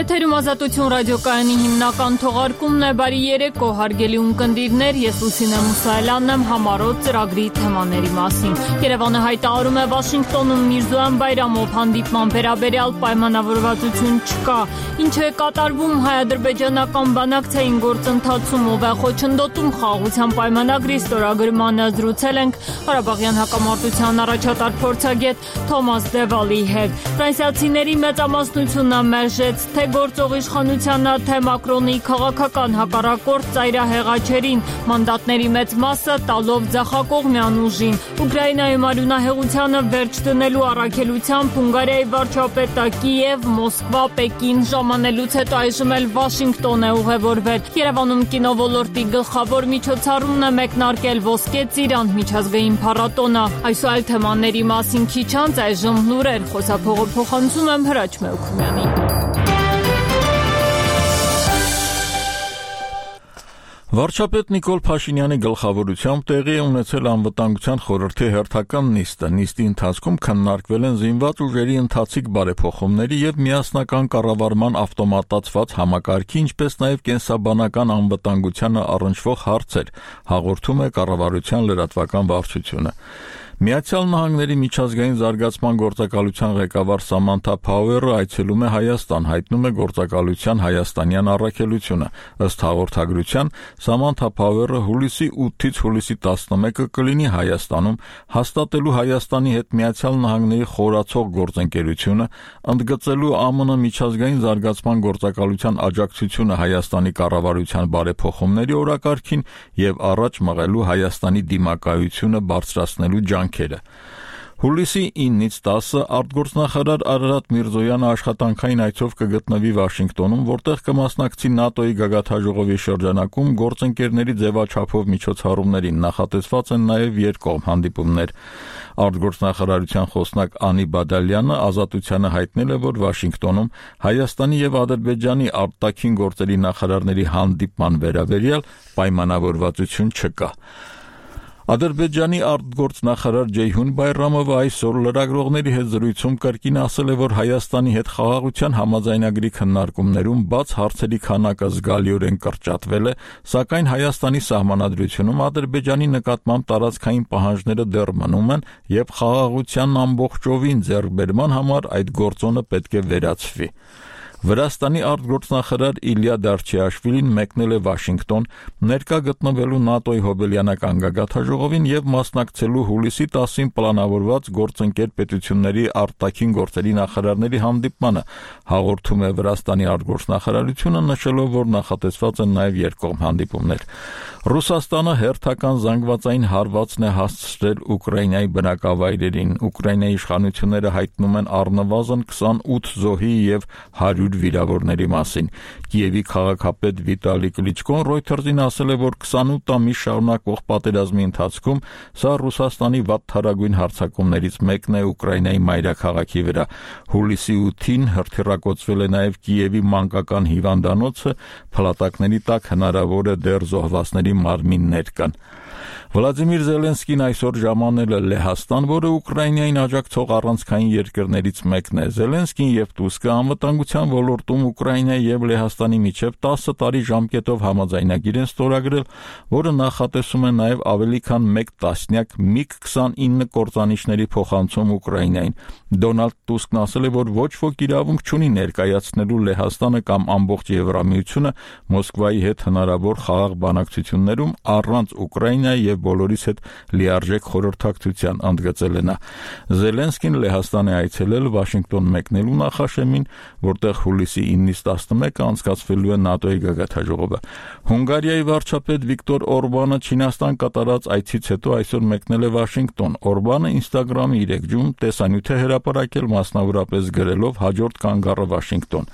Եթերում Ազատություն ռադիոկայանի հիմնական թողարկումն է։ Բարի երեկո, հարգելի ունկնդիրներ, ես Լուսինե Մուսայելյանն եմ համառոտ ծրագրի թեմաների մասին։ Երևանը հայտարարում է Վաշինգտոնում Միրզոյան Բայրամով հանդիպման վերաբերյալ պայմանավորվածություն չկա։ Ինչ է կատարվում հայ-ադրբեջանական բանակցային գործընթացում, ով է խոչընդոտում խաղաղության պայմանագրի ստորագրմանը, զրուցել ենք Ղարաբաղյան հակամարտության առաջատար փորձագետ Թոմաս Դևալի հետ։ Ֆրանսիացիների մեծամասնությունը մերժեց թե գործող իշխանությանը, թե Մակրոնի քաղաքական հակառակորդ ծայրահեղաչերին, մանդատների մեծ մասը տալով ձախակողմյան ուժին։ Ուկրաինայում արյունահեղությանը վերջ դնելու առաքելությամբ Հունգարիայի վարչապետը Կիև, Մոսկվա, Պեկին ժամանելուց հետո այժմ էլ Վաշինգտոն է ուղևորվել։ Երևանում կինոլորտի գլխավոր միջոցառումն է մեկնարկել Ոսկե ծիրան միջազգային փառատոնը։ Այսօր թեմաների մասին քիչ անց այժմ լուրեր, խոսափողը փոխանցում եմ Հրաչ Մեուքումյանին։ Վարչապետ Նիկոլ Փաշինյանի գլխավորությամբ տեղի է ունեցել անվտանգության խորհրդի հերթական նիստը։ Նիստի ընթացքում քննարկվել են զինված ուժերի ընթացիկ բարեփոխումների եւ միասնական կառավարման ավտոմատացված համակարգի, ինչպես նաեւ կենսաբանական անվտանգությանը առնչվող հարցեր, հաղորդում է կառավարության լրատվական վարչությունը։ Միացյալ Նահանգների միջազգային զարգացման գործակալության ղեկավար Սամանթա Փաուերը այցելում է Հայաստան, հայտնում է գործակալության հայաստանյան առաքելությունը։ Ըստ հաղորդագրության, Սամանթա Փաուերը հուլիսի 8-ից հուլիսի 11-ը կլինի Հայաստանում, հաստատելու Հայաստանի հետ Միացյալ Նահանգների խորացող գործընկերությունը, ընդգծելու ԱՄՆ միջազգային զարգացման գործակալության աջակցությունը Հայաստանի կառավարության բարեփոխումների օրակարգին եւ առաջ մղելու Հայաստանի դիմակայությունը բարձրացնելու ջանքերը։ Հուլիսի 9-ից 10-ը արտգործնախարար Արարատ Միրզոյանը աշխատանքային այցով կգտնվի Վաշինգտոնում, որտեղ կմասնակցի ՆԱՏՕ-ի գագաթնաժողովի շրջանակում գործընկերների ձևաչափով միջոցառումներին, նախատեսված են նաև երկկողմ հանդիպումներ։ Արտգործնախարարության խոսնակ Անի Բադալյանը Ազատությանը հայտնել է, որ Վաշինգտոնում Հայաստանի եւ Ադրբեջանի արտաքին գործերի նախարարների հանդիպման վերաբերյալ պայմանավորվածություն չկա։ Ադրբեջանի արտգործնախարար Ջեյհուն Բայրամովը այսօր լրագրողների հետ զրույցում կրկին ասել է, որ Հայաստանի հետ խաղաղության համաձայնագրի քննարկումներում բաց հարցերի քանակը զգալիորեն կրճատվել է, սակայն Հայաստանի սահմանադրությունում Ադրբեջանի նկատմամբ տարածքային պահանջները դեռ մնում են եւ խաղաղության ամբողջովին ձեռքբերման համար այդ գործոնը պետք է վերացվի։ Վրաստանի արտգործնախարար Իլյա Դարչիաշվիլին մեկնել է Վաշինգտոն, ներկա գտնվելու ՆԱՏՕ-ի հոբելյանական գագաթնաժողովին եւ մասնակցելու հուլիսի 10-ին պլանավորված գործընկեր պետությունների արտաքին գործերի նախարարների հանդիպմանը, հաղորդում է Վրաստանի արտգործնախարարությունը, նշելով, որ նախատեսված են նաեւ երկկողմ հանդիպումներ։ Ռուսաստանը հերթական զանգվածային հարվածն է հասցրել Ուկրաինայի բնակավայրերին։ Ուկրաինայի իշխանությունները հայտնում են առնվազն 28 զոհի եւ 100 վիրավորների մասին։ Կիևի քաղաքապետ Վիտալի Կլիչկոն Reuters-ին ասել է, որ 28 ամիս շարունակվող պատերազմի ընթացքում սա Ռուսաստանի վատթարագույն հարձակումներից մեկն է Ուկրաինայի մայրաքաղաքի վրա։ Հուլիսի 8-ին հրթիռակոծվել է նաև Կիևի մանկական հիվանդանոցը, փլատակների տակ հնարավոր է դեռ զոհվածների մարմիններ կան։ Վլադիմիր Զելենսկին այսօր ժամանել է Լեհաստան, որը Ուկրաինային աջակցող առանցքային երկրներից մեկն է։ Զելենսկին եւ Տուսկը անվտանգության ոլորտում Ուկրաինայի եւ Լեհաստանի միջև 10 տարի ժամկետով համաձայնագիր են ստորագրել, որը նախատեսում է նաեւ ավելի քան 1 տասնյակ MiG-29 կործանիչների փոխանցում Ուկրաինային։ Դոնալդ Տուսկն ասել է, որ ոչ ոք իրավունք չունի ներկայացնելու Լեհաստանը կամ ամբողջ Եվրամիությունը Մոսկվայի հետ հնարավոր խաղաղ բանակցություններում առանց Ուկրաինայի եւ բոլորիս հետ լիարժեք խորհրդակցության, ընդգծել է նա։ Զելենսկին Լեհաստան է այցելել Վաշինգտոն մեկնելու նախաշեմին, որտեղ հուլիսի 9-ից 11-ը անցկացվելու է ՆԱՏՕ-ի գագաթնաժողովը։ Հունգարիայի վարչապետ Վիկտոր Օրբանը Չինաստան կատարած այցից հետո այսօր մեկնել է Վաշինգտոն։ Օրբանը Instagram-ի իր էջում տեսանյութ է հրապարակել, մասնավորապես գրելով հաջորդ կանգառը Վաշինգտոն։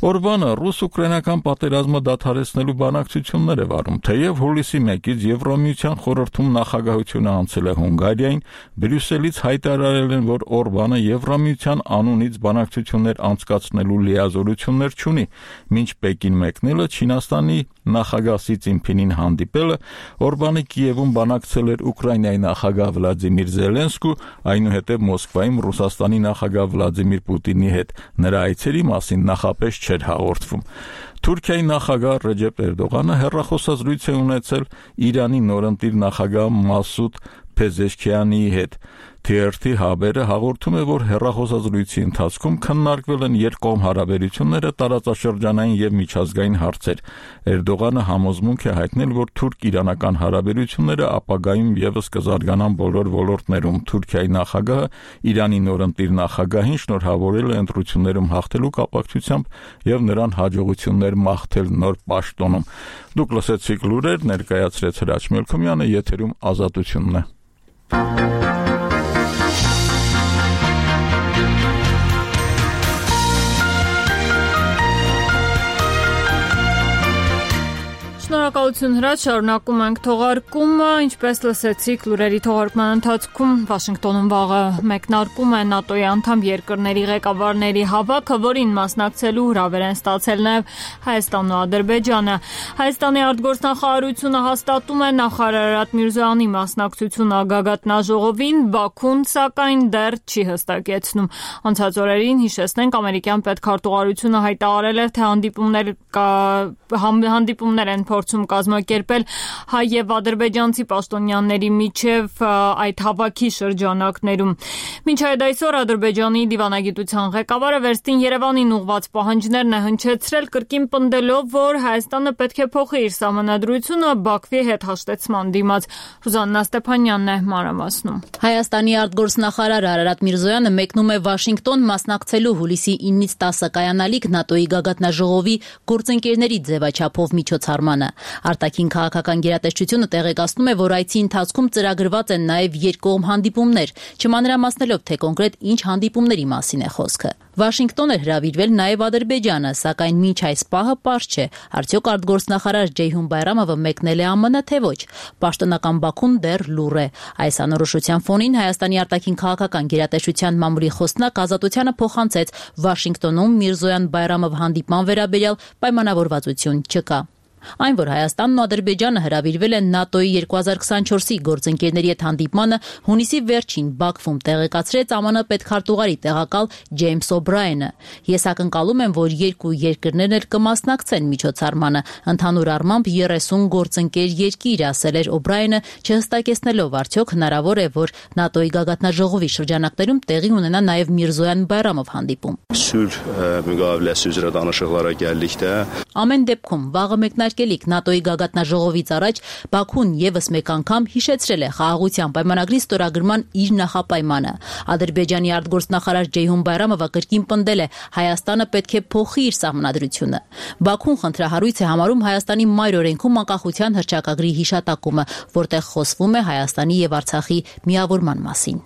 Օրբանը ռուս-ուկրաինական պատերազմը դադարեցնելու բանակցություններ է վարում, թեև հուլիսի 1-ից Եվրամիության խորհրդում նախագահությունը անցել է Հունգարիային, Բրյուսելից հայտարարել են, որ Օրբանը Եվրամիության անունից բանակցություններ անցկացնելու լիազորություններ չունի, մինչ Պեկին մեկնելը Չինաստանի նախագահ Սի Ցինփինին հանդիպելը, Օրբանի Կիևում բանակցել էր Ուկրաինայի նախագահ Վլադիմիր Զելենսկու, այնուհետև Մոսկվայում Ռուսաստանի նախագահ Վլադիմիր Պուտինի հետ։ Նրա այցերի մասին նախապես չէր հաղորդվում։ Թուրքիայի նախագահ Ռեջեփ Էրդողանը հեռախոսազրույց է ունեցել Իրանի նորընտիր նախագահ Մասուդ Փեզեշքիանիի հետ։ TRT Haber-ը հաղորդում է, որ հեռախոսազրույցի ընթացքում քննարկվել են երկկողմ հարաբերությունները, տարածաշրջանային եւ միջազգային հարցեր։ Էրդողանը համոզմունք է հայտնել, որ թուրք-իրանական հարաբերությունները ապագայում եւս կզարգանան բոլոր ոլորտներում։ Թուրքիայի նախագահը Իրանի նորընտիր նախագահին շնորհավորել է ընտրություններում հաղթելու կապակցությամբ եւ նրան հաջողություններ մաղթել նոր պաշտոնում։ Դուք լսեցիք լուրեր, ներկայացրեց Հրաչ Մելքումյանը, եթերում Ազատությունն է։ Շնորհակալություն Հրաչ, շարունակում ենք թողարկումը, ինչպես լսեցիք լուրերի թողարկման ընթացքում Վաշինգտոնում վաղը մեկնարկում է ՆԱՏՕ-ի անդամ երկրների ղեկավարների հավաքը, որին մասնակցելու հրավեր են ստացել նաև Հայաստանն ու Ադրբեջանը։ Հայաստանի արտգործնախարարությունը հաստատում է նախարար Արարատ Միրզոյանի մասնակցությունը գագաթնաժողովին, Բաքուն սակայն դեռ չի հստակեցնում։ Անցած օրերին հիշեցնենք, ամերիկյան պետքարտուղարությունը հայտարարել էր, թե հանդիպումներ են փորձում կազմակերպել հայ եւ ադրբեջանցի պաշտոնյաների միջև այդ հավաքի շրջանակներում։ Մինչ այդ այսօր Ադրբեջանի դիվանագիտության ղեկավարը վերստին Երևանին ուղղված պահանջներն է հնչեցրել, կրկին պնդելով, որ Հայաստանը պետք է փոխի իր սահմանադրությունը Բաքվի հետ հաշտեցման դիմաց։ Ռուզաննա Ստեփանյանն է մանրամասնում։ Հայաստանի արտգործնախարար Արարատ Միրզոյանը մեկնում է Վաշինգտոն մասնակցելու հուլիսի 9-ից 10 կայանալիք ՆԱՏՕ-ի գագաթնաժողովի գործընկերների ձևաչափով միջոցառմանը։ Արտաքին քաղաքական գերատեսչությունը տեղեկացնում է, որ այցի ընթացքում ծրագրված են նաև երկկողմ հանդիպումներ, չմանրամասնելով, թե կոնկրետ ինչ հանդիպումների մասին է խոսքը։ Վաշինգտոն էր հրավիրվել նաև Ադրբեջանը, սակայն մինչ այս պահը պարզ չէ, արդյոք արտգործնախարար Ջեյհուն Բայրամովը մեկնել է ԱՄՆ, թե ոչ։ Պաշտոնական Բաքուն դեռ լուռ է։ Այս անորոշության ֆոնին Հայաստանի արտաքին քաղաքական գերատեսչության մամուլի խոսնակ Ազատությանը փոխանցեց Վաշինգտոնում Միրզոյան-Բայրամով հանդիպման վերաբերյալ պայմանավորվածություն չկա։ Այն, որ Հայաստանն ու Ադրբեջանը հրավիրվել են ՆԱՏՕ-ի 2024-ի գործընկերների հետ հանդիպմանը, հունիսի վերջին Բաքվում տեղեկացրեց ԱՄՆ պետքարտուղարի տեղակալ Ջեյմս Օբրայենը։ Ես ակնկալում եմ, որ երկու երկրներն էլ կմասնակցեն միջոցառմանը, ընդհանուր առմամբ 30 գործընկեր երկիր, ասել էր Օբրայենը, չհստակեցնելով արդյոք հնարավոր է, որ ՆԱՏՕ-ի գագաթնաժողովի շրջանակներում տեղի ունենա նաև Միրզոյան-Բայրամով հանդիպում։ Ամեն դեպքում վաղը մեկնարկելիք ՆԱՏՕ-ի գագաթնաժողովից առաջ Բաքուն եւս մեկ անգամ հիշեցրել է խաղաղության պայմանագրի ստորագրման իր նախապայմանը։ Ադրբեջանի արտգործնախարար Ջեյհուն Բայրամովը կրկին պնդել է, Հայաստանը պետք է փոխի իր սահմանադրությունը։ Բաքուն խնդրահարույց է համարում Հայաստանի մայր օրենքում անկախության հռչակագրի հիշատակումը, որտեղ խոսվում է Հայաստանի եւ Արցախի միավորման մասին։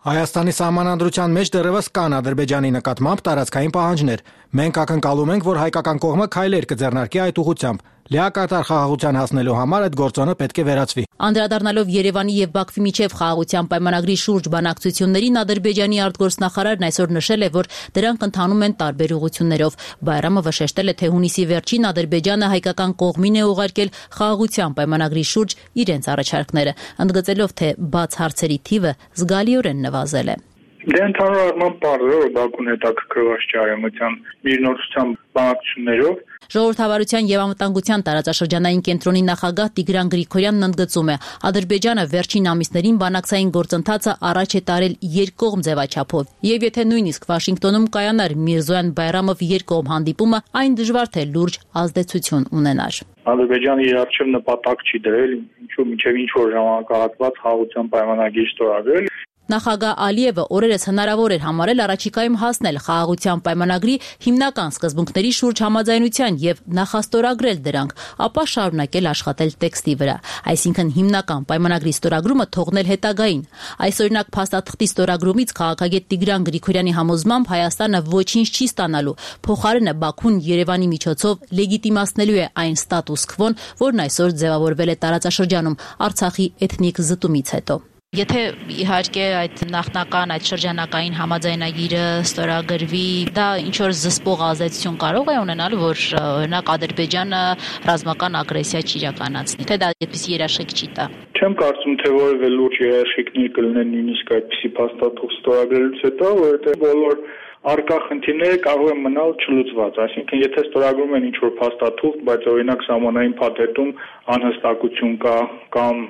Հայաստանի սահմանադրության մեջ դեռևս կան Ադրբեջանի նկատմամբ տարածքային պահանջներ։ Մենք ակնկալում ենք, որ հայկական կողմը քայլեր կձեռնարկի այդ ուղղությամբ։ Լիակատար խաղաղության հասնելու համար այդ գործոնը պետք է վերացվի։ Անդրադառնալով Երևանի եւ Բաքվի միջև խաղաղության պայմանագրի շուրջ բանակցություններին, Ադրբեջանի արտգործնախարարն այսօր նշել է, որ դրանք ընթանում են տարբեր ուղղություններով։ Բայրամովը շեշտել է, թե հունիսի վերջին Ադրբեջանը հայկական կողմին է ուղարկել խաղաղության պայմանագրի շուրջ իրենց առաջարկները, ընդգծելով, թե բաց հարցերի թիվը զգալիորեն նվազել է։ Դե ընդհանուր առմամբ պարզ է, որ Բաքուն հետաքրքրված չէ արևմտյան միգնորության բանակցություններով։ Ժողովրդավարության եւ անվտանգության տարածաշրջանային կենտրոնի նախագահ Տիգրան Գրիգորյանն ընդգծում է, Ադրբեջանը վերջին ամիսներին բանակցային գործընթացը առաջ է տարել երկկողմ ձևաչափով, եւ եթե նույնիսկ Վաշինգտոնում կայանար Միրզոյան-Բայրամով երկկողմ հանդիպումը, այն դժվար թե լուրջ ազդեցություն ունենար։ Ադրբեջանը իր առջև նպատակ չի դրել, ինչու մինչև ինչ որ ժամանակահատված խաղաղության պայմանագիր ստորագրել։ Նախագահ Ալիևը օրերս հնարավոր էր համարել առաջիկայում հասնել խաղաղության պայմանագրի հիմնական սկզբունքների շուրջ համաձայնության եւ նախաստորագրել դրանք, ապա շարունակել աշխատել տեքստի վրա, այսինքն հիմնական պայմանագրի ստորագրումը թողնել հետագային։ Այս օրինակ փաստաթղթի ստորագրումից քաղաքագետ Տիգրան Գրիգորյանի համոզմամբ Հայաստանը ոչինչ չի ստանալու, փոխարենը Բաքուն Երևանի միջոցով լեգիտիմացնելու է այն ստատուս քվոն, որն այսօր ձևավորվել է տարածաշրջանում Արցախի էթնիկ զտումից հետո։ Եթե իհարկե այդ նախնական այդ շրջանակային համաձայնագիրը ստորագրվի, դա ինչ որ զսպող ազդեցություն կարող է ունենալ, որ օրինակ Ադրբեջանը ռազմական ագրեսիա չի իրականացնի, թե դա այդպիսի երաշխիք չի տա։ Չեմ կարծում, թե որևէ լուրջ երաշխիքներ կլինեն նույնիսկ այդպիսի փաստաթուղթ ստորագրելուց հետո, որովհետև բոլոր առկա խնդիրները կարող են մնալ չլուծված, այսինքն եթե ստորագրում են ինչ-որ փաստաթուղթ, բայց օրինակ սահմանային փաթեթում անհստակություն կա կամ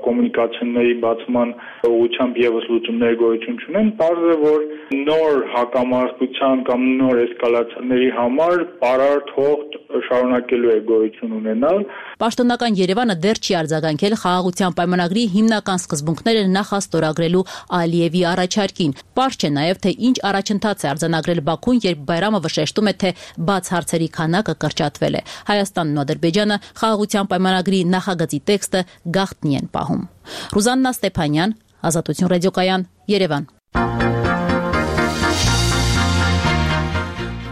կոմունիկացիաների բացման ուղղությամբ եւս լուծումներ գոյություն չունեն, պարզ է, որ նոր հակամարտության կամ նոր էսկալացիաների համար պարարտ հողտ շարունակելու է գոյություն ունենալ։ Պաշտոնական Երևանը դեռ չի արձագանքել խաղաղության պայմանագրի հիմնական սկզբունքները նախաստորագրելու Ալիևի առաջարկին։ Պարզ չէ նաև, թե ինչ առաջընթաց է արձանագրել Բաքուն, երբ Բայրամովը շեշտում է, թե բաց հարցերի քանակը կրճատվել է։ Հայաստանն ու Ադրբեջանը խաղաղության պայմանագրի նախագծի տեքստը գաղտնի են պահում։ Ռուզաննա Ստեփանյան, Ազատություն ռադիոկայան, Երևան։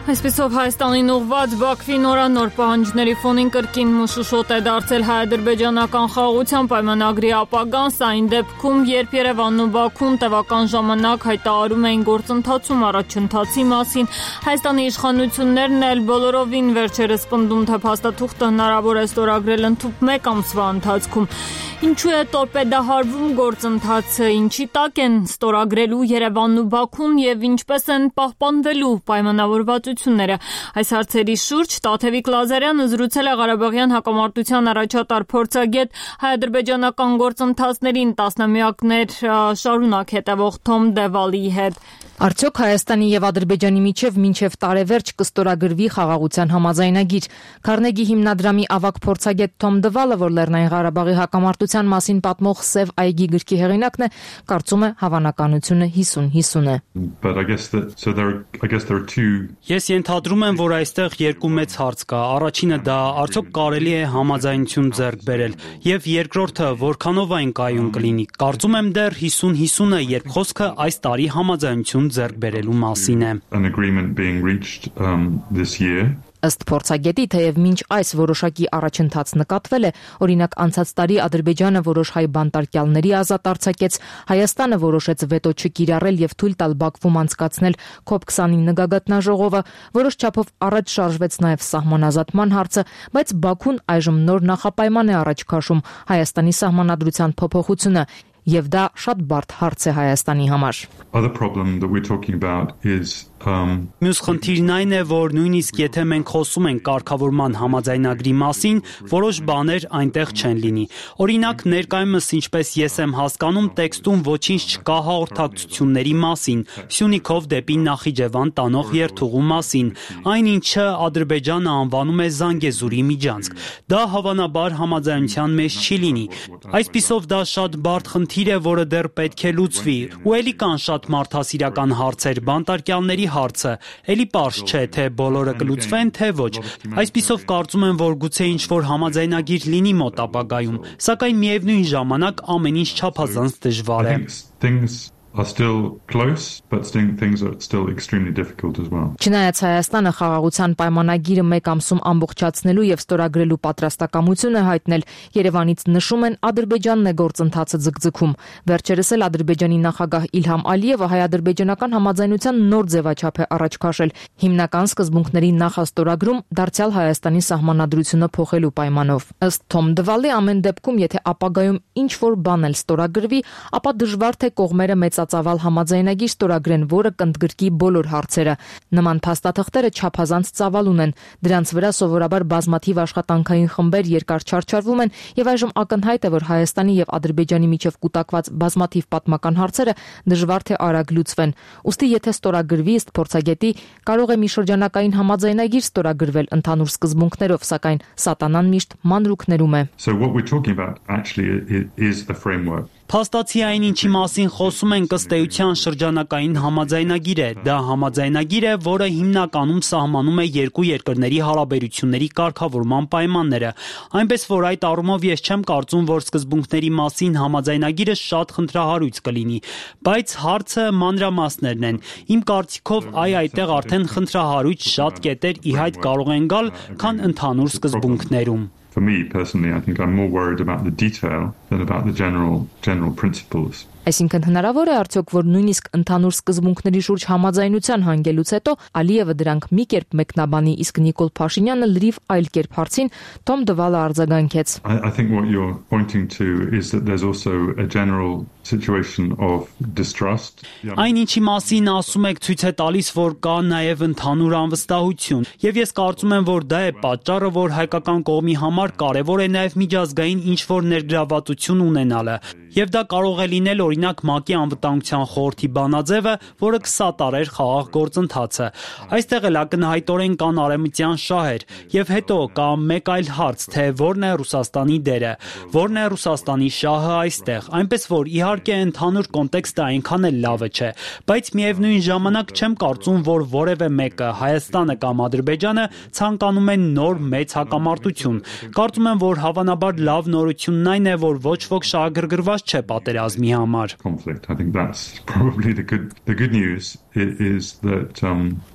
Այսպիսով Հայաստանին ուղղված Բաքվի նորանոր պահանջների ֆոնին կրկին մշուշոտ է դարձել հայ-ադրբեջանական խաղաղության պայմանագրի ապագան, սա այն դեպքում, երբ Երևանն ու Բաքուն տևական ժամանակ հայտարարում էին գործընթացում առաջընթացի մասին, Հայաստանի իշխանություններն էլ բոլորովին վերջերս պնդում, թե փաստաթուղթը հնարավոր է ստորագրել ընդհուպ 1 ամսվա ընթացքում։ Ինչու է տորպեդահարվում գործընթացը, ինչի տակ են ստորագրելու Երևանն ու Բաքուն եւ ինչպես են պահպանվելու պայմանավորվածությունները։ Այս հարցերի շուրջ Տաթևիկ Լազարյանը զրուցել է Ղարաբաղյան հակամարտության առաջատար փորձագետ, հայ-ադրբեջանական գործընթացներին տասնամյակներ շարունակ հետևող Թոմ Դևալիի հետ։ Արդյոք Հայաստանի եւ Ադրբեջանի միջև մինչեւ տարեվերջ կստորագրվի խաղաղության համաձայնագիր։ Քարնեգի հիմնադրամի ավագ փորձագետ Թոմ Դվալը, որ Լեռնային Ղարաբաղի հակամարտության մասին պատմող Սև այգի գրքի հեղինակն է, կարծում է հավանականությունը 50-50 է։ Ես ենթադրում եմ, որ այստեղ երկու մեծ հարց կա։ Առաջինը դա արդյոք կարելի է համաձայնություն ձեռք բերել, եւ երկրորդը որքանով այն կայուն կլինի։ Կարծում եմ դեռ 50-50 է, երբ խոսքը այս տարի համաձայնություն ձեռք բերելու մասին է։ Ըստ փորձագետի, թեև մինչ այս որոշակի առաջընթաց նկատվել է, օրինակ անցած տարի Ադրբեջանը որոշ հայ բանտարկյալների ազատ արձակեց, Հայաստանը որոշեց վետո չկիրառել եւ թույլ տալ Բաքվում անցկացնել COP29 գագաթնաժողովը, որոշ չափով առաջ շարժվեց նաեւ սահմանազատման հարցը, բայց Բաքուն այժմ նոր նախապայման է առաջ քաշում Հայաստանի սահմանադրության փոփոխությունը, եւ դա շատ բարդ հարց է Հայաստանի համար։ Մյուս խնդիրն այն է, որ նույնիսկ եթե մենք խոսում ենք կարգավորման համաձայնագրի մասին, որոշ բաներ այնտեղ չեն լինի։ Օրինակ, ներկայումս ինչպես ես եմ հասկանում, տեքստում ոչինչ չկա հաղորդակցությունների մասին, Սյունիքով դեպի Նախիջևան տանող երթուղու մասին, այն ինչը Ադրբեջանը անվանում է Զանգեզուրի միջանցք։ Դա հավանաբար համաձայնության մեջ չի լինի։ Այսպիսով դա շատ բարդ խնդիր է, որը դեռ պետք է լուծվի։ Ու էլի կան շատ մարդասիրական հարցեր, բանտարկյալների հարցը, էլի պարզ չէ, թե բոլորը կլուծվեն, թե ոչ։ Այսպիսով կարծում եմ, որ գուցե ինչ-որ համաձայնագիր լինի մոտ ապագայում, սակայն միևնույն ժամանակ ամեն ինչ չափազանց դժվար է։ Չնայած Հայաստանը խաղաղության պայմանագիրը 1 ամսում ամբողջացնելու եւ ստորագրելու պատրաստակամություն է հայտնել, Երևանից նշում են Ադրբեջանն է գործընթացը ձգձգում։ Վերջերս էլ Ադրբեջանի նախագահ Իլհամ Ալիևը հայ-ադրբեջանական համաձայնության նոր ձևաչափ է առաջ քաշել, հիմնական սկզբունքների նախաստորագրում դարձյալ Հայաստանի սահմանադրությունը փոխելու պայմանով։ Ըստ Թոմ Դվալի, ամեն դեպքում, եթե ապագայում ինչ որ բան էլ ստորագրվի, ապա դժվար թե կողմերը մեծածավալ համաձայնագիր ստորագրեն, որը կընդգրկի բոլոր հարցերը։ Նման փաստաթղթերը չափազանց ծավալ ունեն, դրանց վրա սովորաբար բազմաթիվ աշխատանքային խմբեր երկար չարչարվում են եւ այժմ ակնհայտ է, որ Հայաստանի եւ Ադրբեջանի միջև կուտակված բազմաթիվ պատմական հարցերը դժվար թե արագ լուծվեն։ Ուստի եթե ստորագրվի, ըստ փորձագետի, կարող է մի շրջանակային համաձայնագիր ստորագրվել ընդհանուր սկզբունքներով, սակայն սատանան միշտ մանրուքներում է։ Փաստացի այն, ինչի մասին խոսում ենք, ըստ էության շրջանակային համաձայնագիր է։ Դա համաձայնագիր է, որը հիմնականում սահմանում է երկու երկրների հարաբերությունների կարգավորման պայմանները։ Այնպես որ այդ առումով ես չեմ կարծում, որ սկզբունքների մասին համաձայնագիրը շատ խնդրահարույց կլինի, բայց հարցը մանրամասներն են։ Իմ կարծիքով այդտեղ արդեն խնդրահարույց շատ կետեր ի հայտ կարող են գալ, քան ընդհանուր սկզբունքներում։ For me personally, I think I'm more worried about the detail than about the general principles. Այսինքն հնարավոր է արդյոք, որ նույնիսկ ընդհանուր սկզբունքների շուրջ համաձայնության հանգելուց հետո Ալիևը դրանք մի կերպ մեկնաբանի, իսկ Նիկոլ Փաշինյանը լրիվ այլ կերպ հարցին Թոմ Դվալը արձագանքեց. I think what you're pointing to is that there's also a general situation of distrust. Այն ինչի մասին ասում եք ցույց է տալիս, որ կա նաև ընդհանուր անվստահություն, եւ ես կարծում եմ, որ դա է պատճառը, որ հայկական կողմի համար կարևոր է նաև միջազգային ինչ-որ ներգրավվածություն ունենալը, եւ դա կարող է լինել օրինակ ՄԱԿ-ի անվտանգության խորհրդի բանաձևը, որը կսատարեր խաղաղ գործընթացը։ Այստեղ էլ ակնհայտորեն կան արևմտյան շահեր, եւ հետո կա մեկ այլ հարց, թե որն է Ռուսաստանի դերը, որն է Ռուսաստանի շահը այստեղ, այնպես որ իհարկե ընդհանուր կոնտեքստը այնքան էլ լավը չէ, բայց միևնույն ժամանակ չեմ կարծում, որ որևէ մեկը, Հայաստանը կամ Ադրբեջանը ցանկանում են նոր մեծ հակամարտություն։ Կարծում եմ, որ հավանաբար լավ նորությունն այն է, որ ոչ ոք շահագրգռված չէ պատերազմի համար. Conflict. I think that's probably the good news is that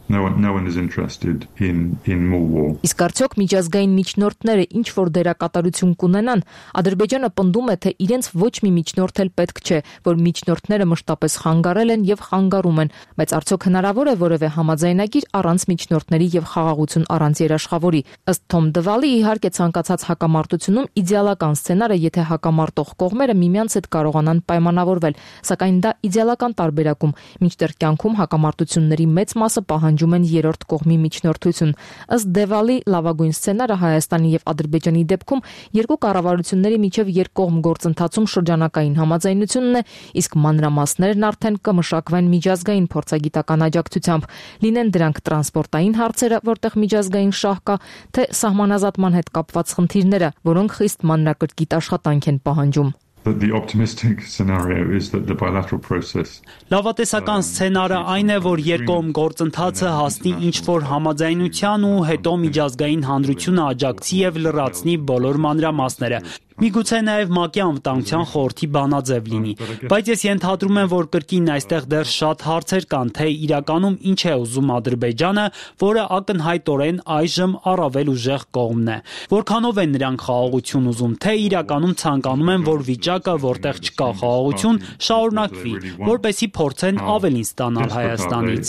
no one is interested in more war. Իսկ արդյոք միջազգային միջնորդները ինչ որ դերակատարություն կունենան, Ադրբեջանը պնդում է, թե իրենց ոչ մի միջնորդ էլ պետք չէ, որ միջնորդները մշտապես խանգարել են եւ խանգարում են, բայց արդյոք հնարավոր է որևէ համաձայնագիր առանց միջնորդների եւ խաղաղություն առանց երաշխավորի։ Ըստ Թոմ Դվալի, իհարկե ցանկացած հակամարտությունում իդեալական սցենարը, եթե հակամարտող կողմերը միմյանց հետ կարողանան պայմանավորվել, սակայն դա իդեալական տարբերակում, մինչդեռ կյանքում հակամարտությունների մեծ մասը պահանջում են երրորդ կողմի միջնորդություն։ Ըստ Դևալի, լավագույն սցենարը Հայաստանի եւ Ադրբեջանի դեպքում երկու կառավարությունների միջև երկկողմ գործընթացում շրջանակային համաձայնությունն է, իսկ մանրամասներն արդեն կմշակվեն միջազգային փորձագիտական աջակցությամբ, լինեն դրանք տրանսպորտային հարցերը, որտեղ միջազգային շահ կա, թե սահմանազատման հետ կապված խնդիրները, որոնք խիստ մանրակրկիտ աշխատանք են պահանջում. But the optimistic scenario is that the bilateral process. Լավատեսական սցենարը այն է, որ երկկողմ գործընթացը հասնի ինչ-որ համաձայնության ու հետո միջազգային հանրությունը աջակցի եւ լրացնի բոլոր մանրամասները։ Միգուցե նաև ՄԱԿ-ի անվտանգության խորհրդի բանաձև լինի, բայց ես ենթադրում եմ, որ կրկին այստեղ դեռ շատ հարցեր կան, թե իրականում ինչ է ուզում Ադրբեջանը, որը ակնհայտորեն այժմ առավել ուժեղ կողմն է։ Որքանով են նրանք խաղաղություն ուզում, թե իրականում ցանկանում են, որ վիճակը, որտեղ չկա խաղաղություն, շարունակվի, որպեսզի փորձեն ավելին ստանալ Հայաստանից։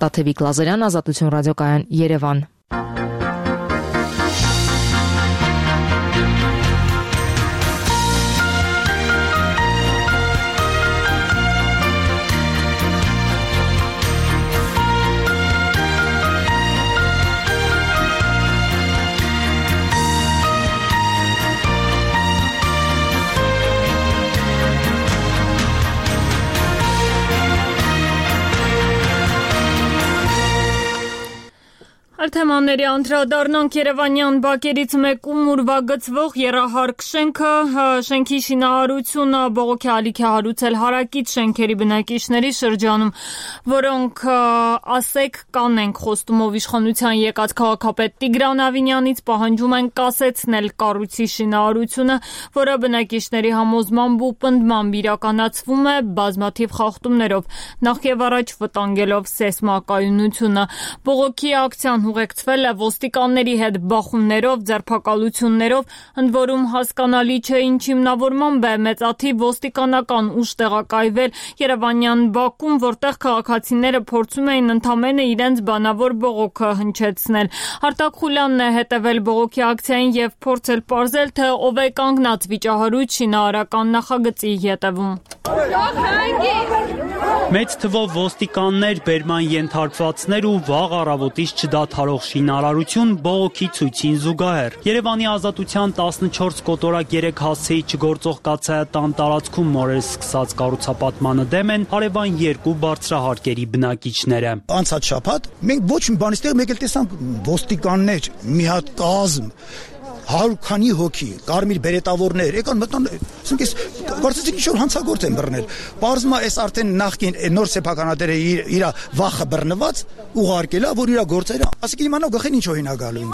Տաթևիկ Լազարյան, Ազատություն ռադիոկայան, Երևան։ Թեմաների անդրադառնանք Երևանյան բակերից մեկում ուրվագծվող եռահարկ շենքը, շենքի շինարարությունը բողոքի ալիք է հարուցել հարակից շենքերի բնակիչների շրջանում, որոնք ասեք կանենք խոստումով իշխանության եկած քաղաքապետ Տիգրան Ավինյանից պահանջում են կասեցնել կառույցի շինարարությունը, որը բնակիչների համոզմամբ ու պնդմամբ իրականացվում է բազմաթիվ խախտումներով, նախ եւ առաջ վտանգելով սեյսմակայունությունը։ Բողոքի ակցիան ուղեկցվել է ոստիկանների հետ բախումներով, ձերբակալություններով, ընդ որում հասկանալի չէ ինչ հիմնավորմամբ է մեծաթիվ ոստիկանական ուժ տեղակայվել Երևանյան բակում, որտեղ քաղաքացիները փորձում էին ընդամենը իրենց բանավոր բողոքը հնչեցնել։ Արտակ Խուլյանն է հետևել բողոքի ակցիային եւ փորձել պարզել, թե ով է կանգնած վիճահարույց շինարարական նախագծի ետևում։ Մեծ թվով ոստիկաններ, բերման ենթարկվածներ ու վաղ առավոտից չդադարող շինարարություն բողոքի ցույցին զուգահեռ։ Երևանի Ազատության 14 կոտորակ 3 հասցեի չգործող կաթսայատան տարածքում նորից սկսած կառուցապատմանը դեմ են հարևան երկու բարձրահարկերի բնակիչները։ Անցած շաբաթ մենք ոչ մի բան ստեղ մեկ էլ տեսանք ոստիկաններ, մի հատ կազմ 100 քանի հոգի, կարմիր բերետավորներ, եկան մտան, ասենք ես կարծեցի ինչ որ հանցագործ են բռնել։ Պարզվում է, այս արդեն նախքին նոր սեփականատերը իր վախը բռնված ուղարկելա, որ իր գործերը, ասենք իմանա գախին ինչով հինա գալու։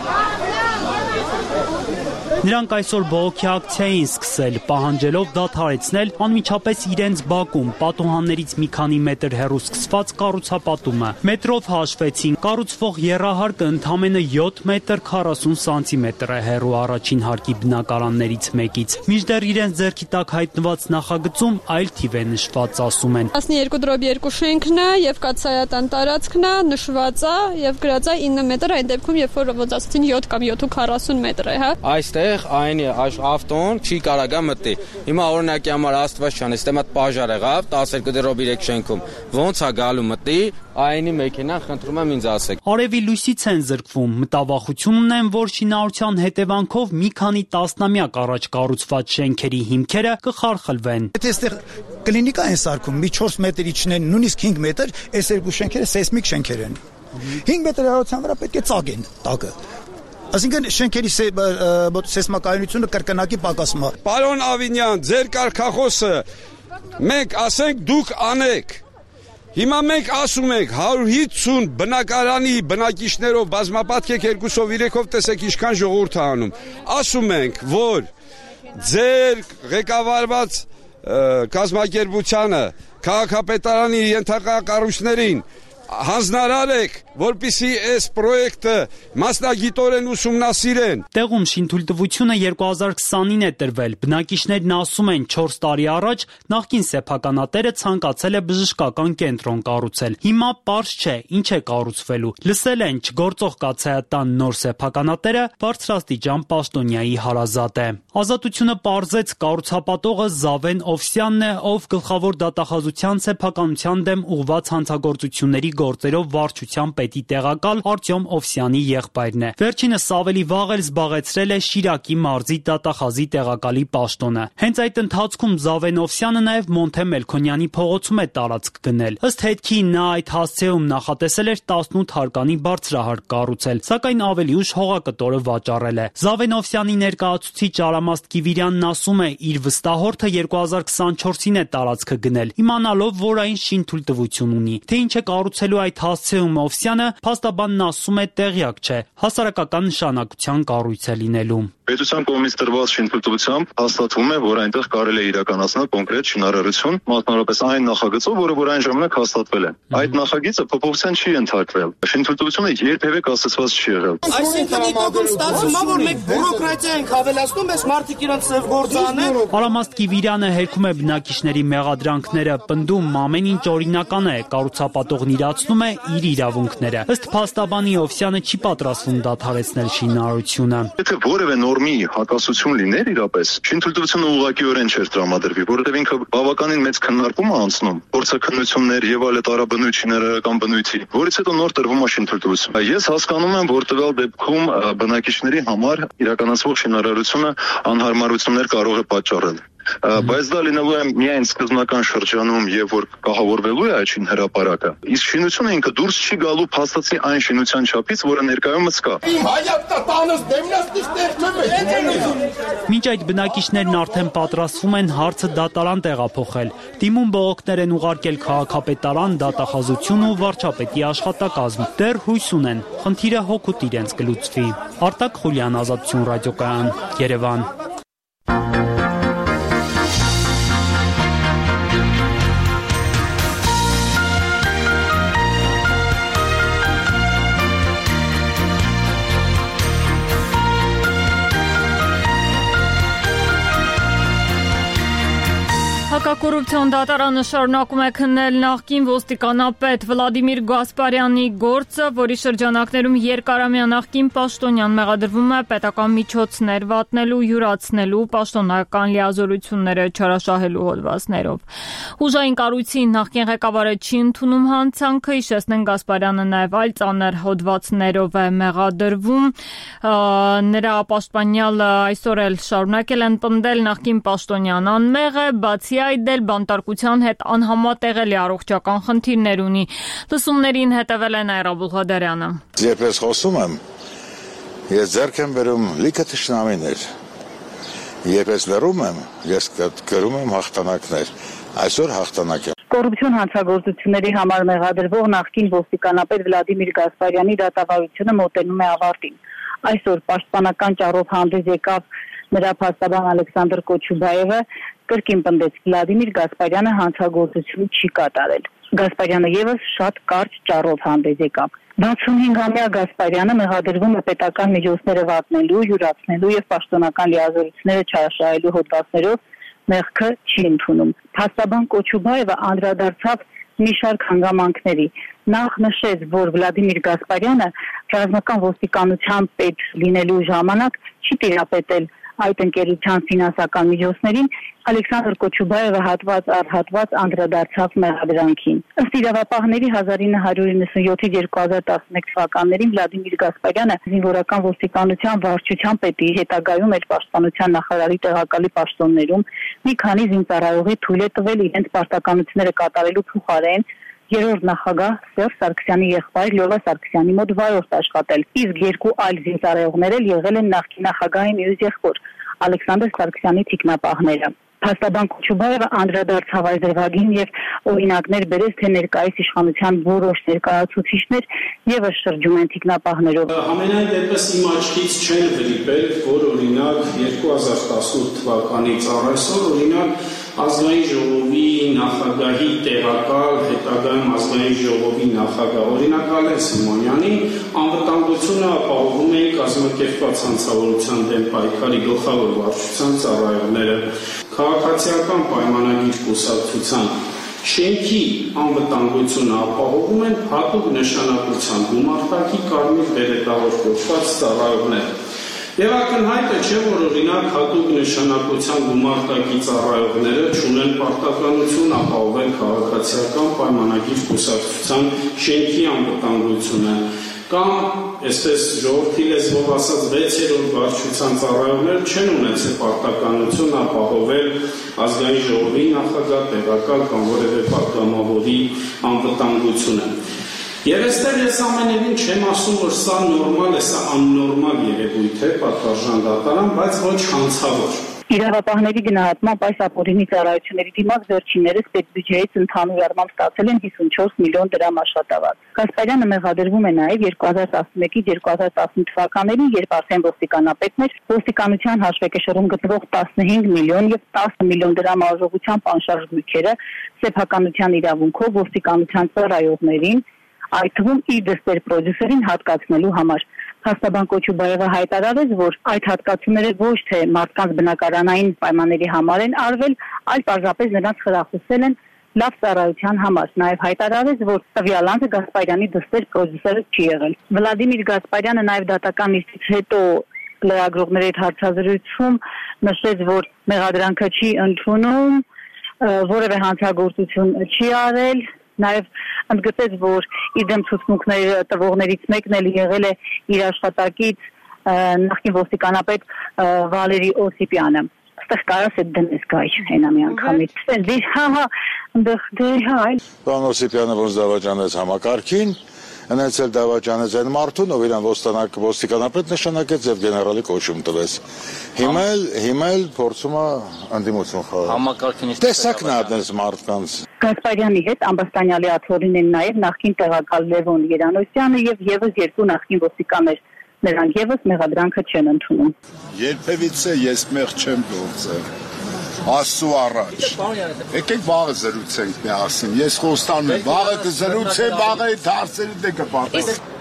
Նրանք այսօր բողոքի ակցիա էին սկսել, պահանջելով դադարեցնել անմիջապես իրենց բակում պատուհաններից մի քանի մետր հեռու սկսված կառուցապատումը։ Մետրով հաշվեցին, կառուցվող եռահարկը ընդամենը 7 մետր 40 սանտիմետր է հեռու առաջին հարկի բնակարաններից մեկից։ Մինչդեռ իրենց ձեռքի տակ հայտնված նախագծում այլ թիվ է նշված, ասում են։ 12/2 շենքն է եւ կաթսայատան տարածքն է, նշված է եւ գրած է 9 մետր, այն դեպքում երբ որ ոնց ասացին 7 կամ 7.40 մետր է, հա։ Այստեղ այն ավտոն չի կարագա մտի։ Հիմա օրինակի համար Աստված չան, այստեղ մատ պաժար եղավ 12/3 շենքում։ Ոնց է գալու մտի, այնի մեքենան խնդրում եմ ինձ ասեք։ Արևի լույսից են զրկվում, մտավախություն ունեն, որ շինարարության հետևանքով մի քանի տասնամյակ առաջ կառուցված շենքերի հիմքերը կխարխլվեն։ Եթե այստեղ կլինիկա են սարքում, մի 4 մետր իջնեն, նույնիսկ 5 մետր, այս երկու շենքերը սեյսմիկ շենքեր են։ 5 մետր հեռացության վրա պետք է ծագեն տակը։ Այսինքն շենքերի սեյսմակայունությունը կրկնակի պակասում է։ Պարոն Ավինյան, ձեր կարգախոսը մենք ասենք դուք անեք։ Հիմա մենք ասում ենք 150 բնակարանի բնակիչներով բազմապատկեք 2-3-ով տեսեք ինչքան ժողովուրդ է անում։ Ասում ենք, որ ձեր ղեկավարված կազմակերպությանը քաղաքապետարանի ենթակա կառույցներին հանձնարարեք, որպեսզի այս պրոյեկտը մասնագիտորեն ուսումնասիրեն։ Տեղում շինթույլտվությունը 2029 է տրվել։ Բնակիչներն ասում են 4 տարի առաջ նախկին սեփականատերը ցանկացել է բժշկական կենտրոն կառուցել։ Հիմա պարզ չէ ինչ է կառուցվելու։ Լսել են չգործող կաթսայատան նոր սեփականատերը բարձրաստիճան պաշտոնյայի հարազատ է։ Ազատությունը պարզեց կառուցապատողը Զավեն Օվսյանն է, ով գլխավոր դատախազության սեփականության դեմ ուղղված հանցագործությունների գործերով վարչության պետի տեղակալ Արտյոմ Օվսյանի եղբայրն է։ Վերջինս ավելի վաղ էլ զբաղեցրել է Շիրակի մարզի դատախազի տեղակալի պաշտոնը։ Հենց այդ ընթացքում Զավեն Օվսյանը նաև Մոնթե Մելքոնյանի փողոցում է տարածք գնել։ Ըստ հետքի նա այդ հասցեում նախատեսել էր 18 հարկանի բարձրահարկ կառուցել, սակայն ավելի ուշ հողակտորը վաճառել է։ Զավեն Օվսյանի ներկայացուցիչ Արամաստ Կիվիրյանն ասում է, իր վստահորդը 2024-ին է տարածքը գնել, իմանալով, որ այն շինթույլտվություն ունի։ Թե ինչ է կառուցելու այդ հասցեում Օվսյանը, փաստաբանն ասում է տեղյակ չէ, հասարակական նշանակության կառույց է լինելու։ Պետության կողմից տրված շինթույլտվությամբ հաստատվում է, որ այնտեղ կարելի է իրականացնել կոնկրետ շինարարություն, մասնավորապես այն նախագծով, որը այն ժամանակ հաստատվել է։ Այդ նախագիծը փոփոխության չի ենթարկվել։ Շինթույլտվությունը երբևէ կասեցված չի եղել։ Այսինքն իտոգում ստացվում է, որ մենք բյուրոկրատիա ենք ավելացնում, այս մարդիկ իրենց ծև գործանը։ Արամաստ Կիվիրյանը հերքում է բնակիչների մեղադրանքները, պնդում ամեն ինչ օրինական է, կառուցապատողն իրացնում է իր իրավունքները։ Ըստ փաստաբանի Օվսյանը չի պատրաստվում դադարեցնել շինարարությունը։ Եթե որևէ նորմի հակասություն լիներ իրապես, շինթույլտվությունը ուղղակիորեն չէր տրամադրվի, որովհետև ինքը բավականին մեծ քննարկում է անցնում, փորձաքննություններ եւ այլ տարաբնույթ շինարարական բնույթի, որից հետո նոր տրվում է շինթույլտվություն։ Ես հասկանում եմ, որ տվյալ դեպքում բնակիչների համար իրականացվող շինարարությունը անհարմարություններ կարող է պատճառել։ Բայց դա լինելու է միայն սկզբնական շրջանում եւ որ կահավորվելու է այդ շինհրապարակը։ Իսկ շինությունը ինքը դուրս չի գալու փաստացի այն շինության չափից, որը ներկայումս կա։ Մինչ այդ բնակիչներն արդեն պատրաստվում են հարցը դատարան տեղափոխել։ Դիմում բողոքներ են ուղարկել քաղաքապետարան, դատախազություն ու վարչապետի աշխատակազմ։ Դեռ հույս ունեն, խնդիրը հօգուտ իրենց կլուծվի։ Արտակ Խուլյան, Ազատություն ռադիոկայան, Երևան։ Հակակոռուպցիոն դատարանը շարունակում է քննել նախկին ոստիկանապետ Վլադիմիր Գասպարյանի գործը, որի շրջանակներում երկարամյա նախկին պաշտոնյան մեղադրվում է պետական միջոցներ վատնելու, յուրացնելու, պաշտոնական լիազորությունները չարաշահելու հոդվածներով։ Ուժային կառույցի նախկին ղեկավարը չի ընդունում հանցանքը, հիշեցնեն Գասպարյանը նաև այլ ծանր հոդվածներով է մեղադրվում։ Նրա պաշտպանյալը այսօր էլ շարունակել են պնդել նախկին պաշտոնյան անմեղ է, բացի այդ էլ բանտարկության հետ անհամատեղելի առողջական խնդիրներ ունի։ Լսումներին հետևել է Նաիրա Բուղադարյանը։ Երբ խոսում եմ, ես ձեռք եմ բերում լիքը թշնամիներ։ Երբ լռում եմ, ես գրում եմ հաղթանակներ։ Այսօր հաղթանակ է։ Կոռուպցիոն հանցագործությունների համար մեղադրվող նախկին ոստիկանապետ Վլադիմիր Գասպարյանի դատավարությունը մոտենում է ավարտին։ Այսօր պաշտպանական ճառով հանդես եկավ Նրա փաստաբան Ալեքսանդր Կոչուբաևը կրկին պնդեց Վլադիմիր Գասպարյանը հանցագործություն չի կատարել։ Գասպարյանը եւս շատ կարճ ճառով հանդես եկավ։ 65-ամյա Գասպարյանը մեղադրվում է պետական միջոցները վատնելու, յուրացնելու եւ պաշտոնական լիազորությունները չարաշահելու հոդվածներով մեղքը չի ընդունում։ Փաստաբան Կոչուբաևը անդրադարձավ մի շարք հանգամանքների։ Նախ նշեց, որ Վլադիմիր Գասպարյանը ռազմական ոստիկանության պետ լինելու ժամանակ չի տիրապետել այդ ընկերության ֆինանսական միջոցներին, Ալեքսանդր Կոչուբաևը հատված առ հատված անդրադարձավ մեղադրանքին։ Ըստ իրավապահների 1997-2011 թվականներին Վլադիմիր Գասպարյանը զինվորական ոստիկանության վարչության պետի, հետագայում էլ պաշտպանության նախարարի տեղակալի պաշտոններում մի քանի զինծառայողի թույլ է տվել իրենց պարտականությունները կատարելու փոխարեն երրորդ նախագահ Սերժ Սարգսյանի եղբայր Լյովա Սարգսյանի մոտ վարորդ աշխատել, իսկ երկու այլ զինծառայողներ էլ եղել են նախկին նախագահի մյուս եղբոր Ալեքսանդր Սարգսյանի թիկնապահները։ Փաստաբան Կոչուբաևը անդրադարձավ այս դրվագին եւ օրինակներ բերեց, թե ներկայիս իշխանության որոշ ներկայացուցիչներ եւս շրջում են թիկնապահներով։ Ամենայն դեպս իմ աչքից չեն վրիպել, որ օրինակ 2018 թվականից առ այսօր օրինակ Ազգային ժողովի նախագահի տեղակալ, հետագայում Ազգային ժողովի նախագահ օրինակ Ալեն Սիմոնյանի անվտանգությունը ապահովում էին կազմակերպված հանցավորության դեմ պայքարի գլխավոր վարչության ծառայողները, քաղաքացիական պայմանագիր կուսակցության շենքի անվտանգությունը ապահովում են հատուկ նշանակության գումարտակի կարմիր բերետավոր կոչված ծառայողները։ Եվ ակնհայտ է, չէ, որ օրինակ հատուկ նշանակության գումարտակի ծառայողները չունեն պարտականություն ապահովել քաղաքացիական պայմանագիր կուսակցության շենքի անվտանգությունը, կամ, այսպես ժողովրդի լեզվով ասած, 6-րդ վարչության ծառայողները չեն ունեցել պարտականություն ապահովել Ազգային ժողովի նախագահ, տեղակալ կամ որևէ պատգամավորի անվտանգությունը։ Եվ այստեղ ես ամենևին չեմ ասում, որ սա նորմալ է, սա աննորմալ երևույթ է, պատվարժան դատարան, բայց ոչ հանցավոր։ Իրավապահների գնահատմամբ այս ապօրինի ծառայությունների դիմաց վերջիններս պետբյուջեից ընդհանուր առմամբ ստացել են 54 միլիոն դրամ աշխատավարձ։ Գասպարյանը մեղադրվում է նաև 2011-2015 թվականներին, երբ արդեն ոստիկանապետն էր, ոստիկանության հաշվեկեշռում գտնվող 15 միլիոն եւ 10 միլիոն դրամ արժողությամբ անշարժ գույքերը սեփականության իրավունքով ոստիկանության ծառայողներին, այդ թվում իր դստեր պրոդյուսերին հատկացնելու համար։ Փաստաբան Կոչուբաևը հայտարարեց, որ այդ հատկացումները ոչ թե մարդկանց բնակարանային պայմանների համար են արվել, այլ պարզապես նրանց խրախուսել են լավ ծառայության համար։ Նաև հայտարարեց, որ տվյալ անձը Գասպարյանի դստեր պրոդյուսերը չի եղել։ Վլադիմիր Գասպարյանը նաև դատական նիստից հետո լրագրողների հետ հարցազրույցում նշեց, որ մեղադրանքը չի ընդունում, որևէ հանցագործություն չի արել։ Նաև ընդգծեց, որ իր դեմ ցուցմունքներ տվողներից մեկն էլ եղել է իր աշխատակից նախկին ոստիկանապետ Վալերի Օսիպյանը։ Այստեղ կարաս այդ դնես գայ հենա մի անգամից։ Պարոն Օսիպյանը ոնց դավաճանեց համակարգին, Ընեցել դավաճանեց այն մարդուն, ով իրան ոստիկանապետ նշանակեց եւ գեներալի կոչում տվեց։ Հիմա էլ փորձում է անդիմություն խաղալ։ Համակարգին տեսակն է այդպես մարդկանց։ Գասպարյանի հետ Ամբաստանյալի աթոռին են նաեւ նախկին տեղակալ Լևոն Երանոսյանը եւ եւս երկու նախկին ոստիկաններ։ Նրանք եւս մեղադրանքը չեն ընդունում։ Երբևիցե ես մեղ չեմ գործել։ Աստծո առաջ։ Եկեք վաղը զրուցենք միասին։ Ես խոստանում եմ, վաղը կզրուցեմ, վաղը այդ հարցերը դե կպատասխանեմ։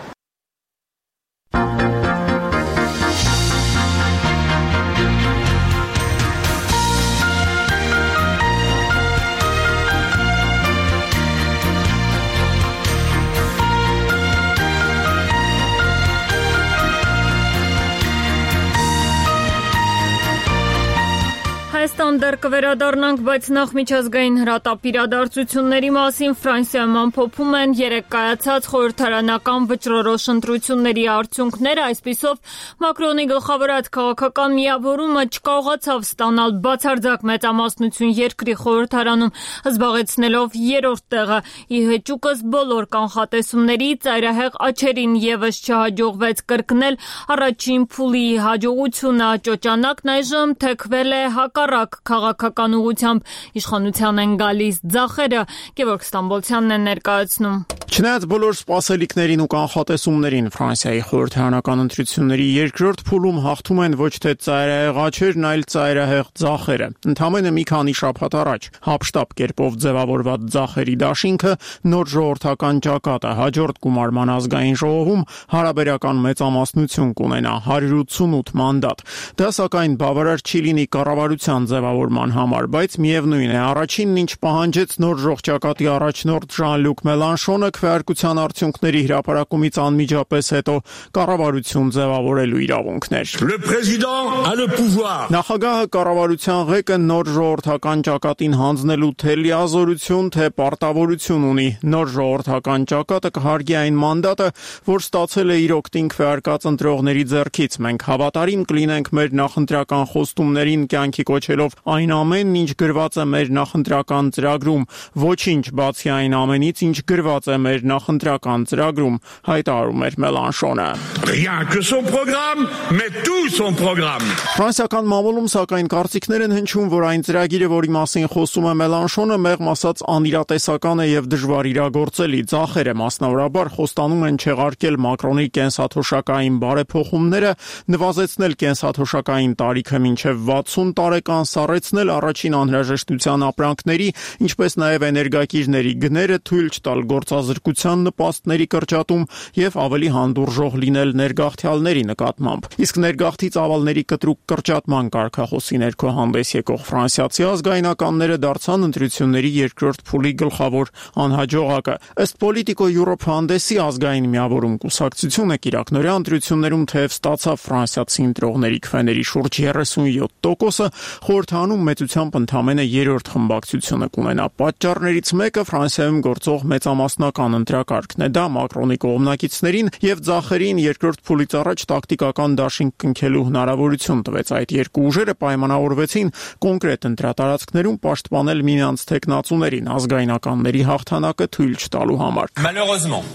Հայաստան դեռ կվերադառնանք, բայց նախ միջազգային հրատապ իրադարձությունների մասին Ֆրանսիայում ամփոփում են երեկ կայացած խորհրդարանական վճռորոշ ընտրությունների արդյունքները, այսպիսով Մակրոնի գլխավորած քաղաքական միավորումը չկարողացավ ստանալ բացարձակ մեծամասնություն երկրի խորհրդարանում, զբաղեցնելով երրորդ տեղը։ Ի հեճուկս բոլոր կանխատեսումների ծայրահեղ աչերին եւս չհաջողվեց կրկնել առաջին փուլի հաջողությունը, ճոճանակն այժմ թեքվել է հակառակ քաղաքական քաղաքական ուղղությամբ իշխանության են գալիս ձախերը, Գևորգ Ստամբոլցյանն է ներկայացնում։ Չնայած բոլոր սպասելիքներին ու կանխատեսումներին Ֆրանսիայի խորհրդարանական ընտրությունների երկրորդ փուլում հաղթում են ոչ թե ծայրահեղ աջերն, այլ ծայրահեղ ձախերը։ Ընդամենը մի քանի շաբաթ առաջ հապշտապ կերպով ձևավորված ձախերի դաշինքը նոր ժողովրդական ճակատը հաջորդ գումարման ազգային ժողովում հարաբերական մեծամասնություն կունենա 188 մանդատ։ Դա սակայն բավարար չի լինի կառավարության ձևավորման համար, բայց միևնույն է, առաջինն ինչ պահանջեց նոր ժողովրդակատի առաջնորդ Ժան-Լյուկ Մելանշոնը քվեարկության արդյունքների հրապարակումից անմիջապես հետո կառավարություն ձևավորելու իրավունքներ։ Le président a le pouvoir. Նախագահը կառավարության ղեկը նոր ժողովրդական ճակատին հանձնելու թե լիազորություն, թե պարտավորություն ունի։ Նոր ժողովրդական ճակատը կհարգի այն մանդատը, որ ստացել է իր օգտին քվեարկած ընտրողների ձեռքից։ Մենք հավատարիմ կլինենք մեր նախընտրական խոստումներին կյանքի կոչելով այն ամենն, ինչ գրված է մեր նախընտրական ծրագրում, ոչինչ բացի այն ամենից, ինչ գրված է մեր նախընտրական ծրագրում, հայտարարում էր Մելանշոնը։ Rien que son programme, mais tout son programme. Ֆրանսիական մամուլում սակայն կարծիքներ են հնչում, որ այն ծրագիրը, որի մասին խոսում է Մելանշոնը, մեղմ ասած անիրատեսական է եւ դժվար իրագործելի։ Ձախերը մասնավորաբար խոստանում են չեղարկել Մակրոնի կենսաթոշակային բարեփոխումները, նվազեցնել կենսաթոշակային տարիքը մինչև 60 տարեկան, սառեցնել առաջին անհրաժեշտության ապրանքների, ինչպես նաեւ էներգակիրների գները, թույլ չտալ գործազրկության նպաստների կրճատում եւ ավելի հանդուրժող լինել ներգաղթյալների նկատմամբ։ Իսկ ներգաղթի ծավալների կտրուկ կրճատման կարգախոսի ներքո հանդես եկող ֆրանսիացի ազգայնականները դարձան ընտրությունների երկրորդ փուլի գլխավոր անհաջողակը։ Ըստ Politico Europe հանդեսի ազգային միավորում կուսակցությունը կիրակնորյա ընտրություններում թեև ստացավ ֆրանսիացի ընտրողների քվեների շուրջ 37%-ը, խորհրդանում մեծությամբ ընդամենը երրորդ խմբակցությունը կունենա։ Պատճառներից մեկը Ֆրանսիայում գործող մեծամասնական ընտրակարգն է։ Դա Մակրոնի կողմնակիցներին եւ ձախերին երկրորդ փուլից առաջ տակտիկական դաշինք կնքելու հնարավորություն տվեց։ Այդ երկու ուժերը պայմանավորվեցին կոնկրետ ընտրատարածքներում պաշտպանել միմյանց թեկնածուներին ազգայնականների հաղթանակը թույլ չտալու համար։ Malheureusement,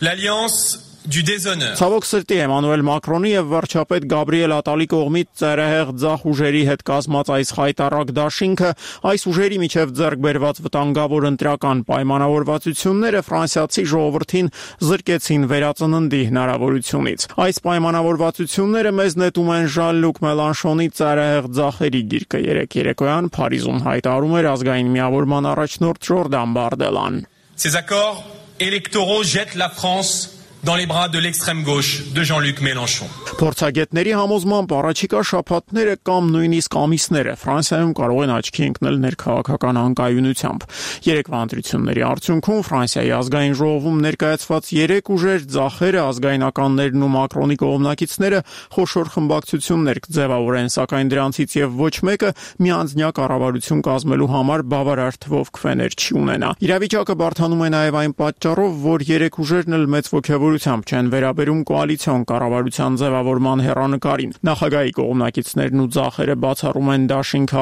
l'alliance du déshonneur. Ցավոք սրտի Էմանուել Մակրոնի եւ վարչապետ Գաբրիել Ատալի կողմից ծայրահեղ ձախ ուժերի հետ կազմած այս խայտառակ դաշինքը, այս ուժերի միջև ձեռք բերված վտանգավոր ընտրական պայմանավորվածությունները ֆրանսիացի ժողովրդին զրկեցին վերածննդի հնարավորությունից։ Այս պայմանավորվածությունները մեզ նետում են Ժան-Լյուկ Մելանշոնի ծայրահեղ ձախերի գիրկը երեկոյան Փարիզում հայտարարում էր ազգային միավորման առաջնորդ Ժորդան Բարդելան։ Ces accords électoraux jettent la France dans les bras de l'extrême gauche de Jean-Luc Mélenchon. Փորձագետների համոզմամբ առաջիկա շաբաթները կամ նույնիսկ ամիսները Ֆրանսիայում կարող են աչքի ընկնել ներքաղաքական անկայունությամբ։ Երեկվա ընտրությունների արդյունքում Ֆրանսիայի ազգային ժողովում ներկայացված 3 ուժեր, ձախերը, ազգայնականներն ու Մակրոնի կողմնակիցները խոշոր խմբակցություններ կձևավորեն, սակայն դրանցից եւ ոչ մեկը միանձնյա կառավարություն կազմելու համար բավարար թվով քվեներ չի ունենա։ Իրավիճակը բարդանում է նաեւ այն պատճառով, որ 3 ուժերն էլ մեծ ոգևորությամբ չեն վերաբերում կոալիցիոն կառավարության ձևավորման հեռանկարին։ Նախագահի կողմնակիցներն ու ձախերը բացառում են դաշինքը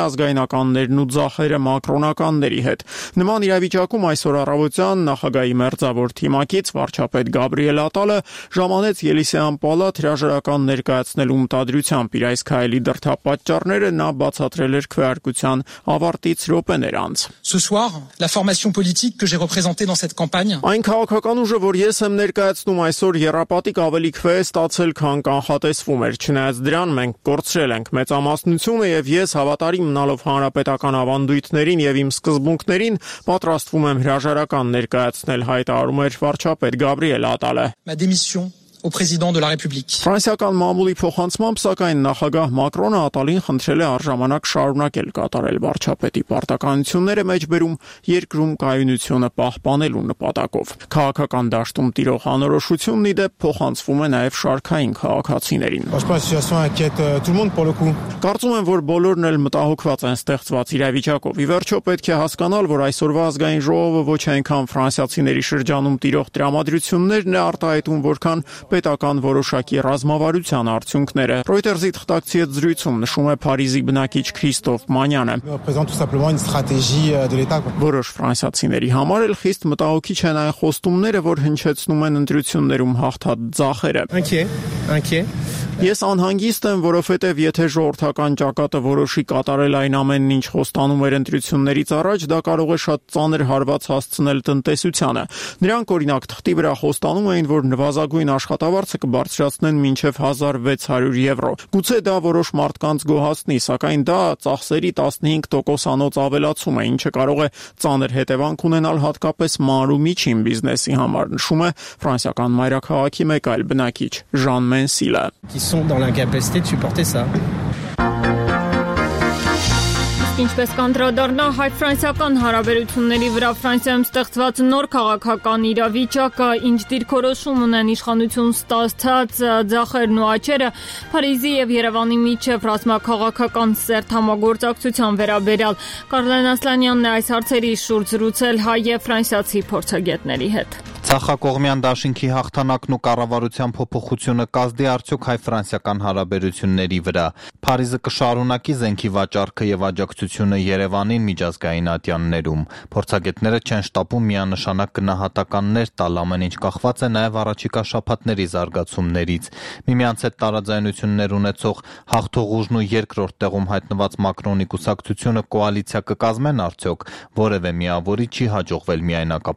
ազգայնականներն ու ձախերը մակրոնականների հետ։ Նման իրավիճակում այսօր առավոտյան նախագահի մերձավոր թիմակից վարչապետ Գաբրիել Ատալը ժամանեց Ելիսեյան պալատ հրաժարական ներկայացնելու մտադրությամբ։ Իր այս քայլի դրդապատճառները նա բացատրել էր քվեարկության ավարտից րոպեներ անց։ Ce soir, la formation politique que j'ai représentée dans cette campagne. Այն քաղաքական ուժը, որ ես եմ ներկայացնում այսօր, եռապատիկ ավելի քվե է ստացել, քան կանխատեսվում էր։ Չնայած դրան մենք կորցրել ենք մեծամասնությունը եւ ես հավատարիմ մնալով հանրապետական ավանդույթներին եւ իմ սկզբունքներին պատրաստվում եմ հրաժարական ներկայացնել, հայտարարում էր վարչապետ Գաբրիել Ատալը։ Ma démission au président de la République. Ֆրանսիական մամուլի փոխանցմամբ սակայն նախագահ Մակրոնը Ատալին խնդրել է արժանանակ շարունակել կատարել վարչապետի պարտականությունները մեջբերում երկրում կայունությունը պահպանելու նպատակով։ Քաղաքական դաշտում տիրող անորոշությունն ի դեպ փոխանցվում է նաև շարքային քաղաքացիներին։ Կարծում եմ, որ բոլորն էլ մտահոգված են ստեղծված իրավիճակով։ Ի վերջո պետք է հասկանալ, որ այսօրվա ազգային ժողովը ոչ այնքան ֆրանսիացիների շրջանում տիրող տրամադրություններն է արտահայտում, որքան պետական որոշակի ռազմավարության արդյունքները։ Reuters-ի թղթակցի հետ զրույցում նշում է Փարիզի բնակիչ Քրիստոֆ Մանյանը։ Որոշ ֆրանսիացիների համար էլ խիստ մտահոգիչ են այն խոստումները, որ հնչեցնում են ընտրություններում հաղթած ձախերը։ Ես անհանգիստ եմ, որովհետև եթե ժողովրդական ճակատը որոշի կատարել այն ամենն, ինչ խոստանում էր ընտրություններից առաջ, դա կարող է շատ ծանր հարված հասցնել տնտեսությանը։ Նրանք օրինակ թղթի վրա խոստանում էին, որ նվազագույն աշխատավարձը կբարձրացնեն մինչև 1600 եվրո։ Գուցե դա որոշ մարդկանց գոհացնի, սակայն դա ծախսերի 15%-անոց ավելացում է, ինչը կարող է ծանր հետևանք ունենալ հատկապես մանր ու միջին բիզնեսի համար, նշում է ֆրանսիական մայրաքաղաքի մեկ այլ բնակիչ Ժան Մենսիլը։ Dans l'incapacité de supporter ça. Ինչպես կանդրադառնա հայ-ֆրանսիական հարաբերությունների վրա Ֆրանսիայում ստեղծված նոր քաղաքական իրավիճակը, ինչ դիրքորոշում ունեն իշխանություն ստացած ձախերն ու աճերը, Փարիզի եւ Երևանի միջև ռազմաքաղաքական սերտ համագործակցության վերաբերյալ Կարլեն Ասլանյանն է այս հարցերի շուրջ զրուցել հայ եւ ֆրանսիացի փորձագետների հետ։ Ցախակողմյան դաշինքի հաղթանակն ու կառավարության փոփոխությունը կազդի արդյոք հայ-ֆրանսիական հարաբերությունների վրա։ Փարիզը կշարունակի զենքի վաճառքը եւ աջակցությունը Երևանին միջազգային ատյաններում։ Փորձագետները չեն շտապում միանշանակ գնահատականներ տալ, ամեն ինչ կախված է նաեւ առաջիկա շաբաթների զարգացումներից։ Միմյանց հետ տարաձայնություններ ունեցող հաղթող ուժն ու երկրորդ տեղում հայտնված Մակրոնի կուսակցությունը կոալիցիա կկազմեն արդյոք, որևէ միավորի չի հաջողվել միայնակ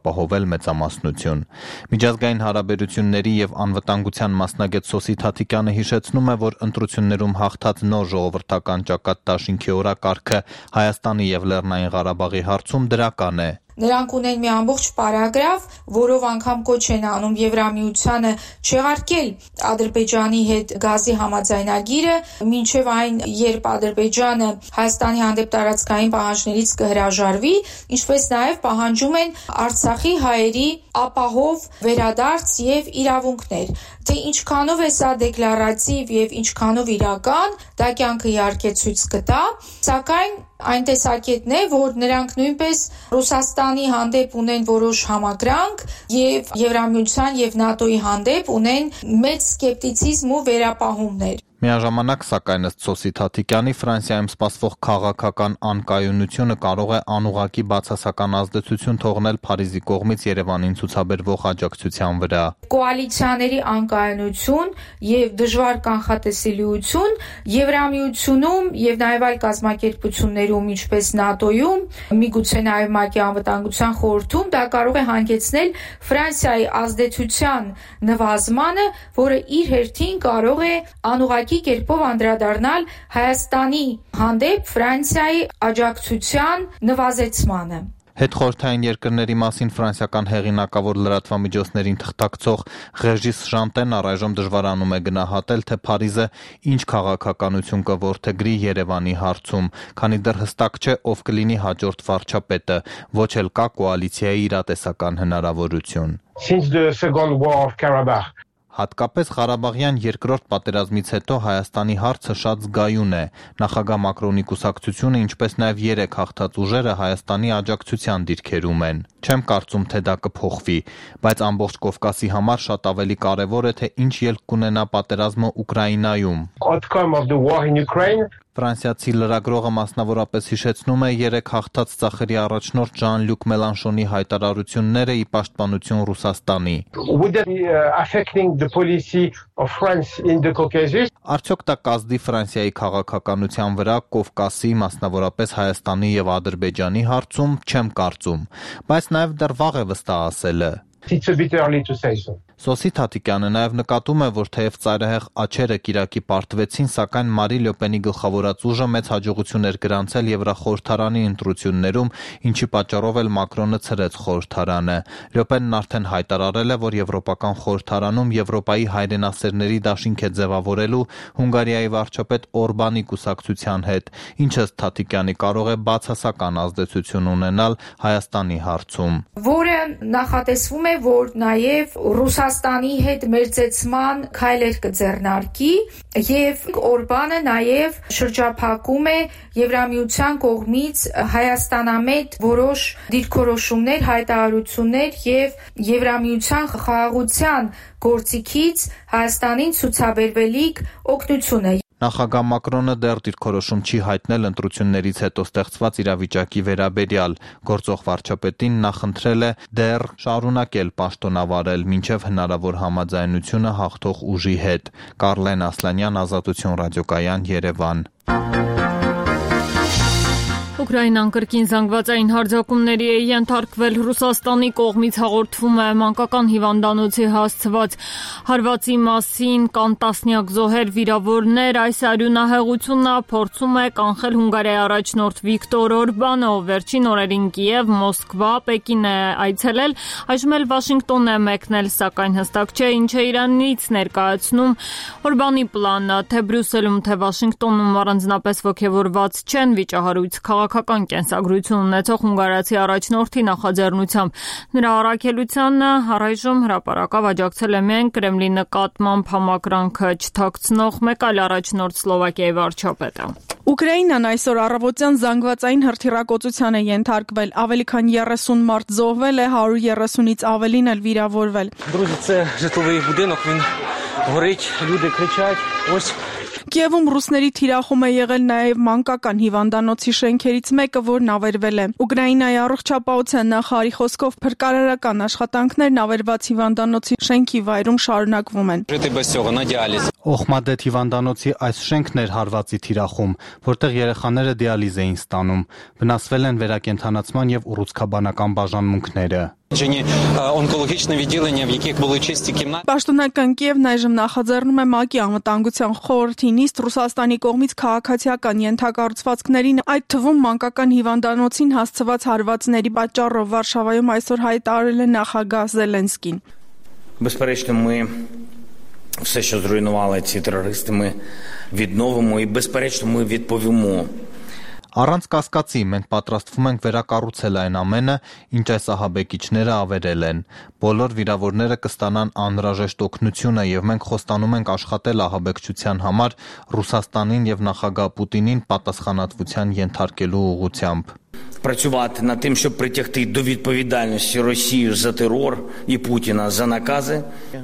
մեծամասնություն։ Միջազգային հարաբերությունների եւ անվտանգության մասնագետ Սոսի Թաթիկյանը հիշեցնում է, որ ընտրություններում հաղթած նոր ժողովրդական ճակատ դաշինքի օրակարգը Հայաստանի եւ Լեռնային Ղարաբաղի հարցում դրական է։ Նրանք ունեն մի ամբողջ պարագրաֆ, որով անգամ կոչ են անում Եվրամիությանը չեղարկել Ադրբեջանի հետ գազի համաձայնագիրը, մինչև այն, երբ Ադրբեջանը Հայաստանի հանդեպ տարածքային պահանջներից կհրաժարվի, ինչպես նաև պահանջում են Արցախի հայերի ապահով վերադարձ եւ իրավունքներ։ Թե ինչքանով է սա դեկլարատիվ եւ ինչքանով իրական, դա կյանքը իհարկե ցույց կտա, սակայն այն տեսակետն է, որ նրանք նույնպես Ռուսաստանի հանդեպ ունեն որոշ համակրանք եւ Եվրամիության եւ ՆԱՏՕ-ի հանդեպ ունեն մեծ սկեպտիցիզմ ու վերապահումներ։ Միաժամանակ, սակայն ըստ Սոսի Թաթիկյանի, Ֆրանսիայում սպասվող քաղաքական անկայունությունը կարող է անուղղակի բացասական ազդեցություն թողնել Փարիզի կողմից Երևանին ցուցաբերվող աջակցության վրա։ Կոալիցիաների անկայունություն եւ դժվար կանխատեսելիություն Եվրամիությունում եւ նաեւ այլ կազմակերպություններում, ինչպես ՆԱՏՕ-ում, միգուցե նաեւ ՄԱԿ-ի անվտանգության խորհրդում, դա կարող է հանգեցնել Ֆրանսիայի ազդեցության նվազմանը, որը իր հերթին կարող է անուղղակի կերպով անդրադառնալ Հայաստանի հանդեպ Ֆրանսիայի աջակցության նվազեցմանը։ Հետխորհրդային երկրների մասին ֆրանսիական հեղինակավոր լրատվամիջոցներին թղթակցող Ռեժիս Ժանտեն առայժմ դժվարանում է գնահատել, թե Փարիզը ինչ քաղաքականություն կորդեգրի Երևանի հարցում, քանի դեռ հստակ չէ, ով կլինի հաջորդ վարչապետը, ոչ էլ կա կոալիցիայի իրատեսական հնարավորություն։ Since the Second War of Karabakh, Հատկապես Ղարաբաղյան երկրորդ պատերազմից հետո Հայաստանի հարցը շատ զգայուն է։ Նախագահ Մակրոնի կուսակցությունը, ինչպես նաև 3 հաղթած ուժերը Հայաստանի աջակցության դիրքերում են։ Չեմ կարծում, թե դա կփոխվի, բայց ամբողջ Կովկասի համար շատ ավելի կարևոր է, թե ինչ ելք կունենա պատերազմը Ուկրաինայում։ outcome of the war in Ukraine. Ֆրանսիացի լրագրողը մասնավորապես հիշեցնում է 3 հաղթած ծախերի առաջնորդ Ժան-Լյուկ Մելանշոնի հայտարարությունները ի պաշտպանություն Ռուսաստանի։ Would that be affecting the policy of France in the Caucasus? Արդյոք դա կազդի Ֆրանսիայի քաղաքականության վրա Կովկասի, մասնավորապես Հայաստանի եւ Ադրբեջանի հարցում, չեմ կարծում, բայց նաեւ դեռ վաղ է վստահ ասելը։ It's a bit early to say so. Սոսի Թաթիկյանը նաև նկատում է, որ թեև ծայրահեղ աչերը կիրակի պարտվեցին, սակայն Մարի Լյոպենի գլխավորած ուժը մեծ հաջողություն էր գրանցել Եվրախորհրդարանի ընտրություններում, ինչի պատճառով էլ Մակրոնը ցրեց խորհրդարանը։ Լյոպենն արդեն հայտարարել է, որ Եվրոպական խորհրդարանում Եվրոպայի հայրենասերների դաշինք է ձևավորելու Հունգարիայի վարչապետ Օրբանի կուսակցության հետ, ինչը Թաթիկյանի կարող է բացասական ազդեցություն ունենալ Հայաստանի հարցում։ Որը նախատեսվում է, որ նաև Ռուսաստանի հետ մերձեցման քայլեր կձեռնարկի եւ Օրբանը նաև շրջափակում է Եվրամիության կողմից Հայաստանամետ որոշ դիրքորոշումներ, հայտարարություններ եւ Եվրամիության խաղաղության գործիքից Հայաստանին ցուցաբերվելիք օգնությունը։ Նախագահ Մակրոնը դեռ դիրքորոշում չի հայտնել ընտրություններից հետո ստեղծված իրավիճակի վերաբերյալ։ Գործող վարչապետին նա խնդրել է դեռ շարունակել պաշտոնավարել մինչև հնարավոր համաձայնությունը հաղթող ուժի հետ։ Կարլեն Ասլանյան, Ազատություն ռադիոկայան, Երևան։ Ուկրաինան կրկին զանգվածային հարձակումների է ենթարկվել։ Ռուսաստանի կողմից հաղորդվում է մանկական հիվանդանոցի հասցված հարվածի մասին, կան տասնյակ զոհեր, վիրավորներ։ Այս արյունահեղությունը փորձում է կանխել Հունգարիայի առաջնորդ Վիկտոր Օրբանը, ով վերջին օրերին Կիև, Մոսկվա, Պեկին է այցելել, այժմ էլ Վաշինգտոն է մեկնել, սակայն հստակ չէ ինչ է Իրանից ներկայացնում Օրբանի պլանը, թե Բրյուսելում, թե Վաշինգտոնում առանձնապես ոգևորված չեն վիճահարույց քաղաքական կենսագրություն ունեցող հունգարացի առաջնորդի նախաձեռնությամբ։ Նրա առաքելությանը առայժմ հրապարակավ աջակցել է միայն Կրեմլի նկատմամբ համակրանքը չթաքցնող մեկ այլ առաջնորդ Սլովակիայի վարչապետը։ Ուկրաինան այսօր առավոտյան զանգվածային հրթիռակոծության է ենթարկվել, ավելի քան 30 մարդ զոհվել է, 130-ից ավելին էլ վիրավորվել։ Друзі, це житловий будинок, він горить, люди кричать. Ось Կիևում ռուսների թիրախում է եղել նաև մանկական հիվանդանոցի շենքերից մեկը, որն ավերվել է։ Ուկրաինայի առողջապահության նախարարի խոսքով փրկարարական աշխատանքներն ավերված հիվանդանոցի շենքի վայրում շարունակվում են։ Օխմադեթ հիվանդանոցի այս շենքն էր հարվածի թիրախում, որտեղ երեխաները դիալիզ էին ստանում։ Վնասվել են վերակենդանացման եւ ուռուցքաբանական բաժանմունքները։ Պաշտոնական Կիևն այժմ նախաձեռնում է ՄԱԿ-ի անվտանգության խորհրդի նիստ Ռուսաստանի կողմից քաղաքացիական ենթակառուցվածքներին, այդ թվում մանկական հիվանդանոցին հասցված հարվածների պատճառով Վարշավայում այսօր հայտարարել է նախագահ Զելենսկին։ Безперечно, ми все, що зруйнували ці терористи, ми відновимо і, безперечно, ми відповімо. Առանց կասկածի մենք պատրաստվում ենք վերակառուցել այն ամենը, ինչ այս ահաբեկիչները ավերել են։ Բոլոր վիրավորները կստանան անհրաժեշտ օգնությունը եւ մենք խոստանում ենք աշխատել ահաբեկչության համար Ռուսաստանին եւ նախագահ Պուտինին պատասխանատվության ենթարկելու ուղղությամբ։ Працювати над тим, щоб притягти до відповідальності Росію за терор і Путіна за накази.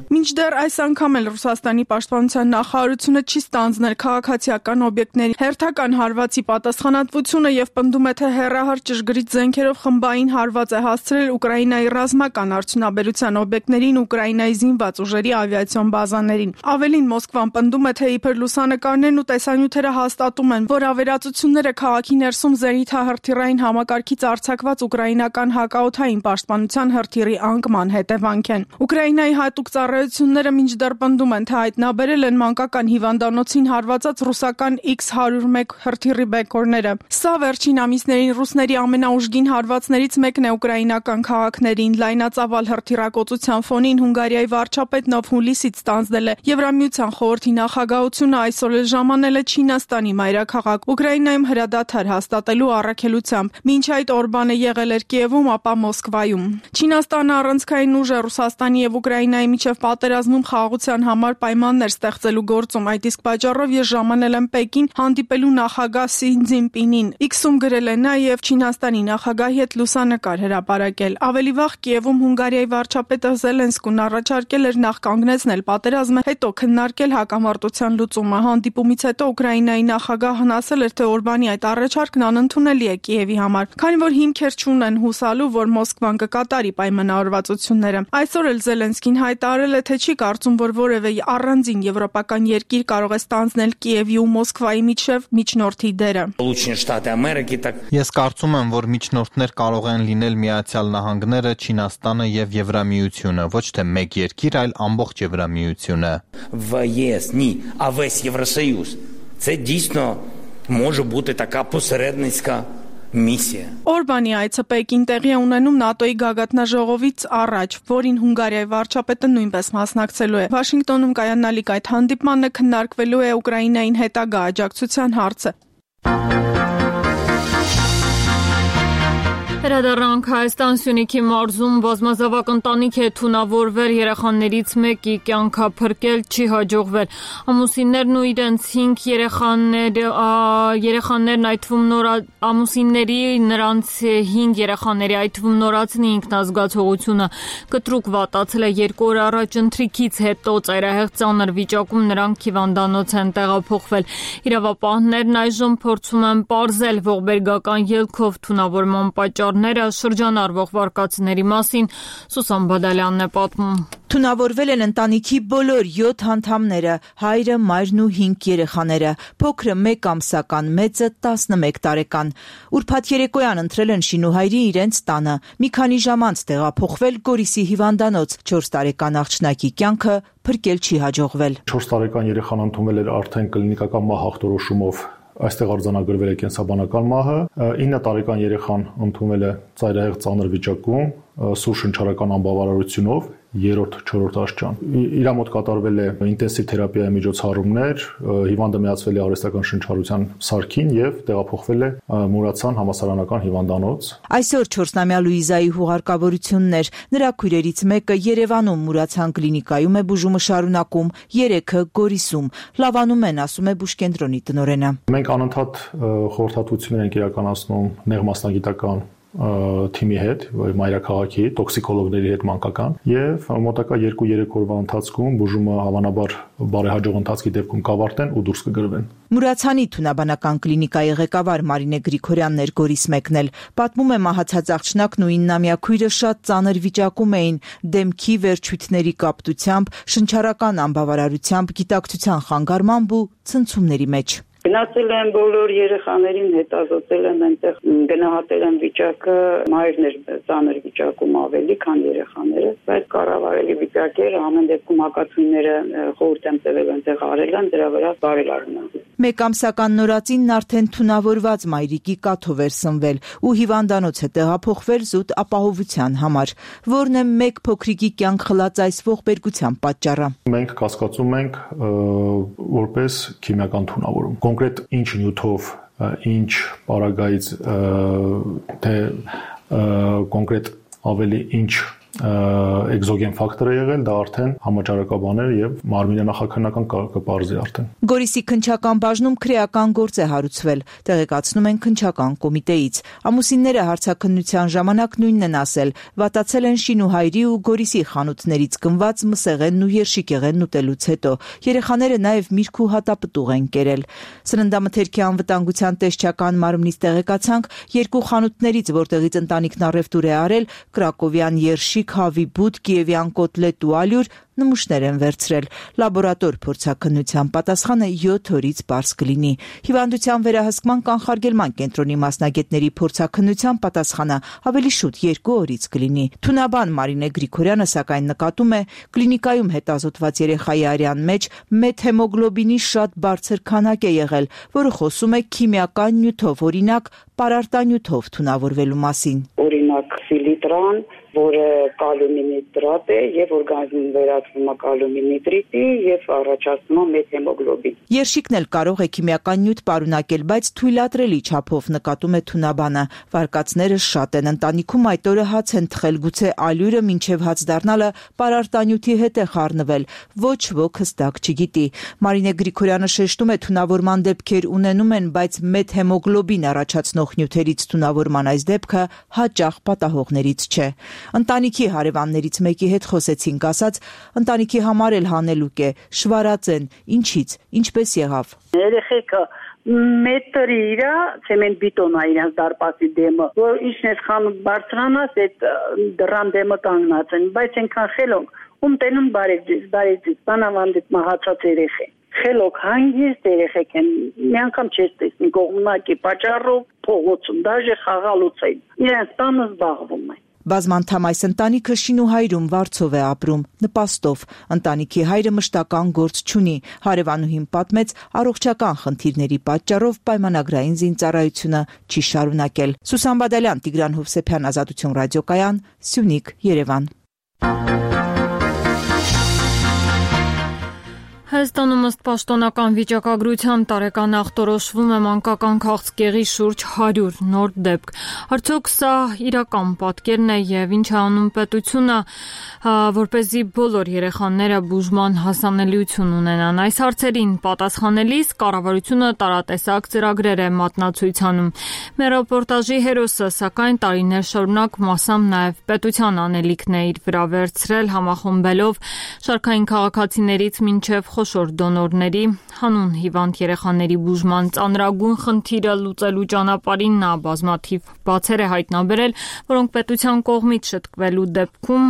Մինչդեռ այս անգամ էլ Ռուսաստանի պաշտպանության նախարարությունը չի ստանձնել քաղաքացիական օբյեկտների հերթական հարվածի պատասխանատվությունը եւ պնդում է, թե հերահար ճշգրիտ զենքերով խմբային հարված է հասցրել Ուկրաինայի ռազմական արդյունաբերության օբյեկտներին, Ուկրաինայի զինված ուժերի ավիացիոն բազաներին։ Ավելին Մոսկվան պնդում է, թե իբր լուսանկարներն ու տեսանյութերը հաստատում են, որ ավերածությունները քաղաքի ներսում զենիթահրթիռային համակարգից արձակված ուկրաինական հակաօդային պաշտպանության հրթիռի անկման հետևանք են։ Ուկրաինայի հատուկ ծառայությունները մինչդեռ պնդում են, թե հայտնաբերել են մանկական հիվանդանոցին հարվածած ռուսական X-101 հրթիռի բեկորները։ Սա վերջին ամիսներին ռուսների ամենաուժգին հարվածներից մեկն է ուկրաինական քաղաքներին։ Լայնածավալ հրթիռակոծության ֆոնին Հունգարիայի վարչապետն ով հուլիսից ստանձնել է Եվրամիության խորհրդի նախագահությունը այսօր էլ ժամանել է Չինաստանի մայրաքաղաք Ուկրաինայում հրադադար հաստատելու առաքելությամբ։ Մինչ այդ Օրբանը եղել էր Կիևում, ապա Մոսկվայում։ Չինաստանը առանցքային ուժ է Ռուսաստանի եւ Ուկրաինայի միջև պատերազմում խաղաղության համար պայմաններ ստեղծելու գործում։ Այդ իսկ պատճառով ես ժամանել եմ Պեկին հանդիպելու նախագահ Սի Ցզինպինին։ X-ում գրել է նա եւ Չինաստանի նախագահի հետ լուսանկար հրապարակել։ Ավելի վաղ Կիևում Հունգարիայի վարչապետը Զելենսկուն առաջարկել էր նախ կանգնեցնել պատերազմը, հետո քննարկել հակամարտության լուծումը։ Հանդիպումից հետո Ուկրաինայի նախագահն ասել էր, թե Օրբանի այդ առաջարկն անընդունելի է Կիևի համար, քանի որ հիմքեր չունեն հուսալու, որ Մոսկվան կկատարի պայմանավորվածությունները։ Այսօր էլ Զելենսկին հայտարարել է, թե չի կարծում, որ որևէ առանձին եվրոպական երկիր կարող է ստանձնել Կիևի ու Մոսկվայի միջև միջնորդի դերը։ Ես կարծում եմ, որ միջնորդներ կարող են լինել Միացյալ Նահանգները, Չինաստանը եւ Եվրամիությունը, ոչ թե մեկ երկիր, այլ ամբողջ Եվրամիությունը։ Ні, а весь Євросоюз. Це дійсно може бути така посередницька միսիա։ Օրբանի այցը Պեկին տեղի է ունենում ՆԱՏՕ-ի գագաթնաժողովից առաջ, որին Հունգարիայի վարչապետը նույնպես մասնակցելու է։ Վաշինգտոնում կայանալիք այդ հանդիպմանը քննարկվելու է Ուկրաինային հետագա աջակցության հարցը։ Վերադառնանք Հայաստան Սյունիքի մարզում բազմազավակ ընտանիք է թունավորվել, երեխաներից մեկի կյանքը փրկել չի հաջողվել։ Ամուսիններն ու իրենց 5 երեխաներն այդ թվում ամուսինների նրանց 5 երեխաների այդ թվում նորածնի ինքնազգացողությունը կտրուկ վատացել է 2 օր առաջ ընթրիքից հետո ծայրահեղ ծանր վիճակում նրանք հիվանդանոց են տեղափոխվել։ Իրավապահներն այժմ փորձում են պարզել ողբերգական ելքով թունավորման պատճառները, շրջանառվող վարկածների մասին Սուսան Բադալյանն է պատմում։ Թունավորվել են ընտանիքի բոլոր 7 անդամները, հայրը, մայրն ու 5 երեխաները, փոքրը 1 ամսական, մեծը 11 տարեկան։ Ուրբաթ երեկոյան ընտրել են շինուհայրի իրենց տանը, մի քանի ժամ անց տեղափոխվել Գորիսի հիվանդանոց, 4 տարեկան աղջնակի կյանքը փրկել չի հաջողվել։ 4 տարեկան երեխան ընդունվել էր արդեն կլինիկական մահ ախտորոշումով, այստեղ արձանագրվել է կենսաբանական մահը, 9 տարեկան երեխան ընդունվել է ծայրահեղ ծանր վիճակում, սուր շնչառական անբավարարությունով, 3-4 աշճան։ Իրա մոտ կատարվել է ինտենսիվ թերապիայի միջոցառումներ, հիվանդը միացվել է արհեստական շնչառության սարքին եւ տեղափոխվել է Մուրացյան համալսարանական հիվանդանոց։ Այսօր 4-ամյա Լուիզայի հուղարկավորությունն էր, նրա քույրերից մեկը Երևանում Մուրացյան կլինիկայում է բուժումը շարունակում, 3-ը Գորիսում։ Լավանում են, ասում է բուժկենտրոնի տնօրենը։ Մենք անընդհատ խորհրդատվություններ ենք իրականացնում նեղ մասնագիտական թիմի հետ, մայրաքաղաքի, տոքսիկոլոգների հետ մանկական եւ մոտակա 2-3 օրվա ընթացքում բուժումը հավանաբար բարեհաջող ընթացքի դեպքում կավարտեն ու դուրս կգրվեն։ Մուրացյանի թունաբանական կլինիկայի ղեկավար Մարինե Գրիգորյանն էր Գորիս մեկնել, պատմում է մահացած աղջնակն ու 9-ամյա քույրը շատ ծանր վիճակում էին, դեմքի վերջույթների կապտությամբ, շնչառական անբավարարությամբ, գիտակցության խանգարմամբ ու ցնցումների մեջ։ Գնացել են բոլոր երեխաներին, հետազոտել են այնտեղ, գնահատել են վիճակը, մայրն էր ծանր վիճակում ավելի, քան երեխաները, բայց կառավարելի վիճակ էր, ամեն դեպքում հակացույները խորհուրդ եմ տվել այնտեղ արել են, դրա վրա բարելավում են։ 1 ամսական նորածինն արդեն թունավորված մայրիկի կաթով էր սնվել ու հիվանդանոց է տեղափոխվել զուտ ապահովության համար, որն է 1 փոքրիկի կյանք խլած այս ողբերգության պատճառը։ Մենք կասկածում ենք որպես քիմիական թունավորում։ Կոնկրետ ինչ նյութով, ինչ պարագայից, թե կոնկրետ ավելի ինչ էկզոգեն ֆակտոր է եղել, դա արդեն համաճարակաբաներ եւ մարմինը նախաքննական կպարզի արդեն։ Գորիսի քննչական բաժնում քրեական գործ է հարուցվել, տեղեկացնում են քննչական կոմիտեից։ Ամուսինները հարցաքննության ժամանակ նույնն են ասել, վատացել են շինուհայրի ու Գորիսի խանութներից գնված մսեղենն ու երշիկեղենն ուտելուց հետո։ Երեխաները նաեւ միրգ ու հատապտուղ են կերել։ Սննդամթերքի անվտանգության տեսչական մարմնից տեղեկացանք 2 խանութներից, որտեղից ընտանիքն առևտուր է արել, Կրակովյան երշիկ, հավի բուտ, կիևյան կոտլետ ու ալյուր նմուշներ են վերցրել։ Լաբորատոր փորձաքննության պատասխանը 7 օրից պարզ կլինի։ Հիվանդության վերահսկման կանխարգելման կենտրոնի մասնագետների փորձաքննության պատասխանը ավելի շուտ 2 օրից կլինի։ Թունաբան Մարինե Գրիգորյանը սակայն նկատում է, կլինիկայում հետազոտված երեխայի արյան մեջ մեթհեմոգլոբինի շատ բարձր քանակ է եղել, որը խոսում է քիմիական նյութով, օրինակ պարարտանյութով թունավորվելու մասին։ Օրինակ ֆիլիտրան, որը կալիումի նիտրատ է եւ օրգանիզմում վերածվում է կալիումի նիտրիտի եւ առաջացնում է մեթհեմոգլոբին։ Երշիկն էլ կարող է քիմիական նյութ պարունակել, բայց թույլատրելի չափով, նկատում է Թունաբանը։ Վարկածները շատ են, ընտանիքում այդ օրը հաց են թխել, գուցե ալյուրը մինչև հաց դառնալը պարարտանյութի հետ է խառնվել, ոչ ոք հստակ չգիտի։ Մարինե Գրիգորյանը շեշտում է, թունավորման դեպքեր ունենում են, բայց մեթհեմոգլոբին առաջացնող նյութերից թունավորման այս դեպքը հաճախ պատահողներից չէ։ Ընտանիքի հարևաններից մեկի հետ խոսեցինք, ասաց, ընտանիքի համար էլ հանելուկ է, շվարած են, ինչից, ինչպես եղավ։ Երեխեքը մետրի իրա ցեմենտ բիտոնա իրենց դարպասի դեմը, որ ինչն է խանութ բարձրանաս, այդ դռան դեմը կանգնած են, բայց այնքան խելոք, ում տենում բարեջից, բանավանդից մահացած երեխե։ Խելոք հանգիստ երեխեք են, մի անգամ չես տեսնի կողմնակի պատճառով փողոցում, դաժե խաղալուց են, իրենց տանը զբաղվում են։ Բազմանդամ այս ընտանիքը շինուհայրում վարձով է ապրում, նպաստով։ Ընտանիքի հայրը մշտական գործ չունի։ Հարևանուհին պատմեց, առողջական խնդիրների պատճառով պայմանագրային զինծառայությունը չի շարունակել։ Սուսան Բադալյան, Տիգրան Հովսեփյան, Ազատություն ռադիոկայան, Սյունիք, Երևան։ Հայաստանում ըստ պաշտոնական վիճակագրության տարեկան ախտորոշվում է մանկական քաղցկեղի շուրջ 100 նոր դեպք։ Արդյոք սա իրական պատկերն է եւ ինչ է անում պետությունը, որպեսզի բոլոր երեխաները բուժման հասանելիություն ունենան։ Այս հարցերին պատասխանելիս կառավարությունը տարատեսակ ծրագրեր է մատնացույց անում։ Մեր ռեպորտաժի հերոսը, սակայն տարիներ շարունակ մասամբ նաեւ պետության անելիքն է իր վրա վերցրել, համախմբելով շարքային քաղաքացիներից մինչև խոշոր դոնորների հանուն հիվանդ երեխաների բուժման ծանրագույն խնդիրը լուծելու ճանապարհին նա բազմաթիվ բացեր է հայտնաբերել, որոնք պետության կողմից շտկվելու դեպքում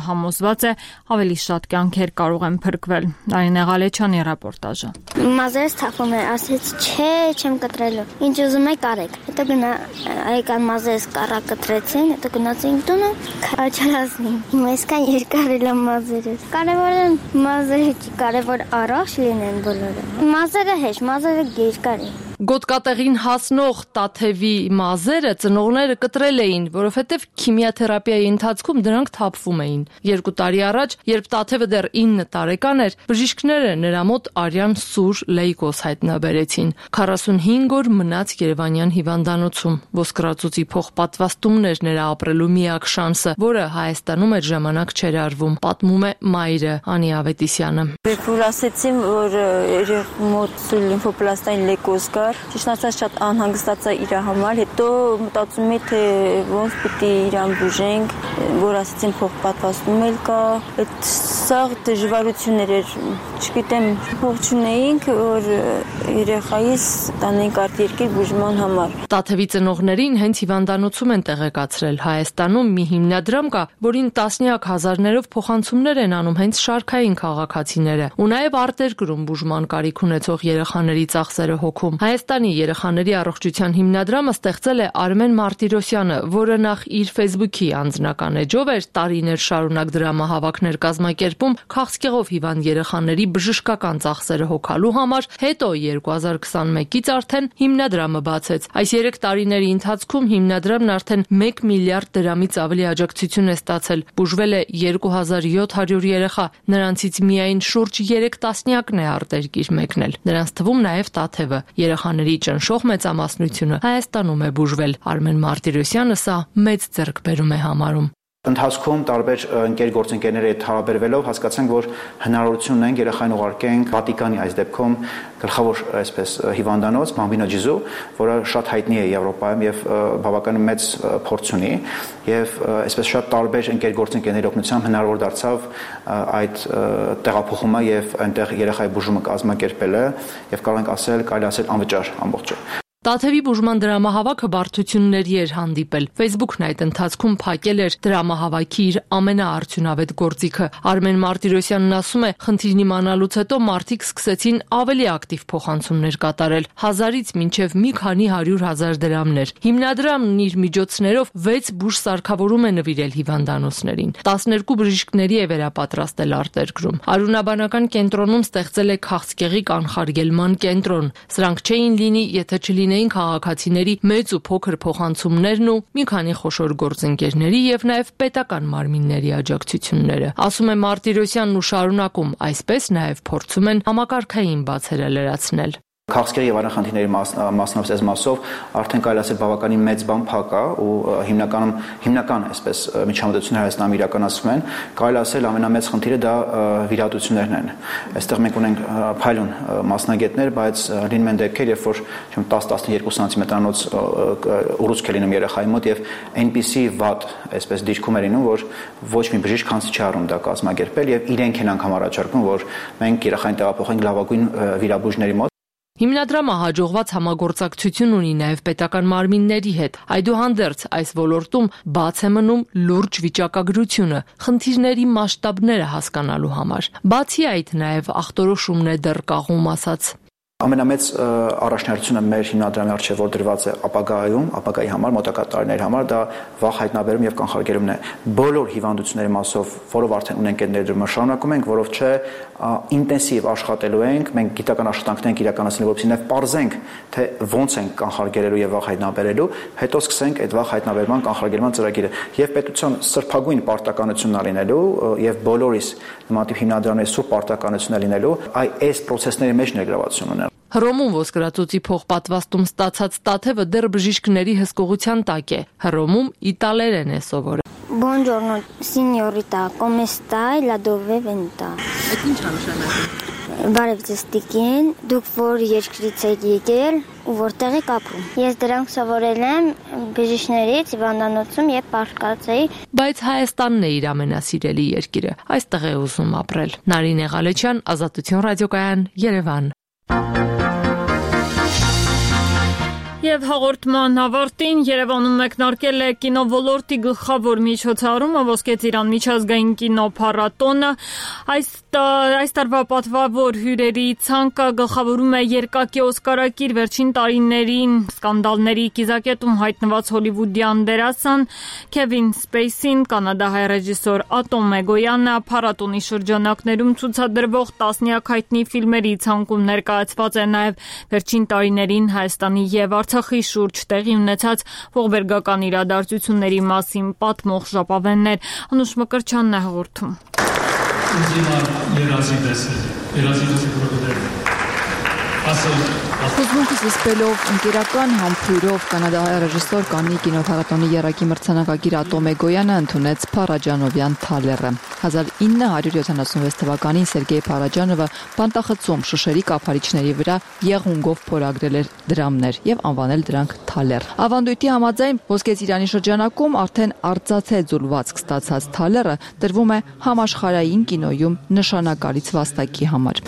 համոզված է ավելի շատ կյանքեր կարող են փրկվել։ Արինե Ղալեչյանի ռեպորտաժը։ Մազերս թափում է, ասեց չէ, չեմ կտրելու։ Ինչ ուզում եք արեք։ Հետո գնա այկան մազերս կառա կտրեցին, հետո գնացինք տունը, քաչարացին։ Հիմա այսքան երկար էլ մազերս։ Կարևորը մազերը չի, կարևոր առողջ լինեն բոլորը։ Մազերը հեշտ, մազերը երկար են։ Գոտկատեղին հասնող Տաթևի մազերը ծնողները կտրել էին, որովհետև քիմիաթերապիայի ընթացքում դրանք թափվում էին։ 2 տարի առաջ, երբ Տաթևը դեռ 9 տարեկան էր, բժիշկները նրա մոտ արյան սուր լեյկոզ հայտնաբերեցին։ 45 օր մնաց Երևանյան հիվանդանոցում։ Ոսկրածուծի փոխպատվաստումն էր նրա ապրելու միակ շանսը, որը Հայաստանում այդ ժամանակ չէր արվում, պատմում է մայրը Անի Ավետիսյանը։ Որ ասեցին, որ մոտ լիմֆոպլաստային լեյկոզ կա, ճիշտ ասած շատ անհանգստացա իր համար, հետո մտածում էի, թե ոնց պիտի իրան բուժենք, որ ասեցին փոխպատվաստում էլ կա, այդ սաղ դժվարություններ էր, չգիտեմ, փող չունեինք, որ երեխայիս տանենք արտերկիր բուժման համար։ Տաթևի ծնողներին հենց հիվանդանոցում են տեղեկացրել։ Հայաստանում մի հիմնադրամ կա, որին տասնյակ հազարներով փոխանցումներ են անում հենց շարքային քաղաքացիները, ու նաև արտերկրում բուժման կարիք ունեցող երեխաների ծախսերը հոգում։ Հայաստանի երեխաների առողջության հիմնադրամը ստեղծել է Արմեն Մարտիրոսյանը, որը նախ իր Facebook-ի անձնական էջով էր տարիներ շարունակ դրամահավաքներ կազմակերպում քաղցկեղով հիվանդ երեխաների բժշկական ծախսերը հոգալու համար, հետո 2021-ից արդեն հիմնադրամը բացեց։ Այս 3 տարիների ընթացքում հիմնադրամն արդեն 1 միլիարդ դրամից ավելի աջակցություն է ստացել, բուժվել է 2700 երեխա, նրանցից միայն շուրջ 3 տասնյակն է արտերկիր մեկնել։ Նրանց թվում նաև Տաթևը։ Երեխաների ճնշող մեծամասնությունը Հայաստանում է բուժվել։ Արմեն Մարտիրոսյանը սա մեծ ձեռքբերում է համարում։ Ընթացքում տարբեր ընկեր գործընկերների հետ հարաբերվելով հասկացանք, որ հնարավորություն ունենք երեխային ուղարկենք Վատիկանի այս դեպքում գլխավոր այսպես հիվանդանոց Բամբինո Ջիզու, որը շատ հայտնի է Եվրոպայում եւ բավականին մեծ փորձ ունի, եւ այսպես շատ տարբեր ընկեր գործընկերների օգնությամբ հնարավոր դարձավ այդ տեղափոխումը եւ այնտեղ երեխայի բուժումը կազմակերպելը եւ կարող ենք ասել, կարելի ասել անվճար ամբողջը։ Տաթևի բուժման դրամահավաքը բարդությունների էր հանդիպել։ Facebook-ն այդ ընթացքում փակել էր դրամահավաքի իր ամենաարդյունավետ գործիքը։ Արմեն Մարտիրոսյանն ասում է, խնդիրն իմանալուց հետո մարդիկ սկսեցին ավելի ակտիվ փոխանցումներ կատարել, 1000-ից մինչև մի քանի 100,000 դրամներ։ Հիմնադրամն իր միջոցներով 6 բուժ սարքավորում է նվիրել հիվանդանոցներին։ 12 բժիշկների է վերապատրաստել արտերկրում։ Արյունաբանական կենտրոնում ստեղծել է քաղցկեղի կանխարգելման կենտրոն։ Սրանք չէին լինի, եթե չլինեին քաղաքացիների մեծ ու փոքր փոխանցումներն ու մի քանի խոշոր գործընկերների եւ նաեւ պետական մարմինների աջակցությունները։ Ասում է Մարտիրոսյանն ու շարունակում, այսպես նաեւ փորձում են համակարգային բացերը լրացնել։ Քաղցկեղի եւ անախնդիրների մասնավորապես մասով արդեն կարելի ասել բավականին մեծ բան փակա ու հիմնական այսպես միջամտությունները Հայաստանում իրականացվում են, կարելի ասել ամենամեծ խնդիրը դա վիրահատություններն են։ Այստեղ մենք ունենք փայլուն մասնագետներ, բայց լինում են դեպքեր, երբ որ 10-12 սանտիմետրանոց ուռուցք է լինում երեխայի մոտ եւ այնպիսի վատ այսպես դիրքում է լինում, որ ոչ մի բժիշկ քանս չի առնում դա կազմակերպել եւ իրենք են անգամ առաջարկում, որ մենք երեխային տեղափոխենք լավագույն վիրաբույժների մոտ։ Հիմնադրամը հաջողված համագործակցություն ունի նաև պետական մարմինների հետ։ Այդուհանդերձ այս ոլորտում բաց է մնում լուրջ վիճակագրությունը, խնդիրների մասշտաբները հասկանալու համար։ Բացի այդ, նաև ախտորոշումն է դեռ կաղում ասած։ Ամենամեծ առաջնահերթությունը մեր հիմնադրամի առջև որ դրված է ապագայի համար, մոտակա տարիների համար, դա վաղ հայտնաբերում եւ կանխարգելումն է։ Բոլոր հիվանդությունների մասով, որով արդեն ունենք այդ ներդրումը, շարունակում ենք, որով չէ ինտենսիվ աշխատելու ենք, մենք գիտական աշխատանքներ ենք իրականացնելու, որպեսզի նաեւ պարզենք, թե ոնց ենք կանխարգելելու եւ վաղ հայտնաբերելու, հետո սկսենք այդ վաղ հայտնաբերման կանխարգելման ծրագիրը։ Եվ պետության սրբագույն պարտականությունն լինելու եւ բոլորիս նմանատիպ հիմնադրամների սուրբ պարտականությունն լինելու, այս process-ների մեջ ներգրավվածություն ունեն։ Հռոմում ոսկրածոցի փոխպատվաստում ստացած Տաթևը դեռ բժիշկների հսկողության տակ է։ Հռոմում իտալերեն է սովորել։ Buongiorno signorita, come stai? La dove venta? Այդ ինչ է նշանակում։ Բարև ձեզ տիկին, դուք որ երկրից եք եկել ու որտեղ եք ապրում։ Ես դրանք սովորել եմ բժիշկներից հիվանդանոցում եւ պարկածեի։ Բայց Հայաստանն է իր ամենասիրելի երկիրը։ Այստեղ է ուզում ապրել։ Նարինե Ղալեչյան, Ազատություն ռադիոկայան, Երևան։ Եվ հաղորդման ավարտին Երևանում մեկնարկել է կինոլորտի գլխավոր միջոցառումը Ոսկե ծիրան միջազգային կինոփառատոնը։ Այս տարվա պատվավոր հյուրերի ցանկը գլխավորում է երկակի օսկարակիր վերջին տարիներին սկանդալների կիզակետում հայտնված հոլիվուդյան դերասան Քևին Սպեյսին, կանադահայ ռեժիսոր Ատոմ Էգոյանը, փառատոնի շրջանակներում ցուցադրվող տասնյակ հայտնի ֆիլմերի ցանկում ներկայացված է նաև վերջին տարիներին Հայաստանի եւ Արցախի շուրջ տեղի ունեցած ողբերգական իրադարձությունների մասին պատմող ժապավեններ։ Անուշ Մկրտչյանն է հաղորդում։ Խոսմունքս զսպելով ընկերական համբույրով կանադահայ ռեժիսոր Կաննի կինոփառատոնի եռակի մրցանակակիր Ատոմ Էգոյանը ընդունեց Փարաջանովյան թալերը։ 1976 թվականին Սերգեյ Փարաջանովը բանտախցում շշերի կափարիչների վրա եղունգով փորագրել էր դրամներ եւ անվանել դրանք թալեր։ Ավանդույթի համաձայն Ոսկե ծիրանի շրջանակում արդեն արծաթե ձուլվածք ստացած թալերը տրվում է համաշխարհային կինոյում նշանակալից վաստակի համար։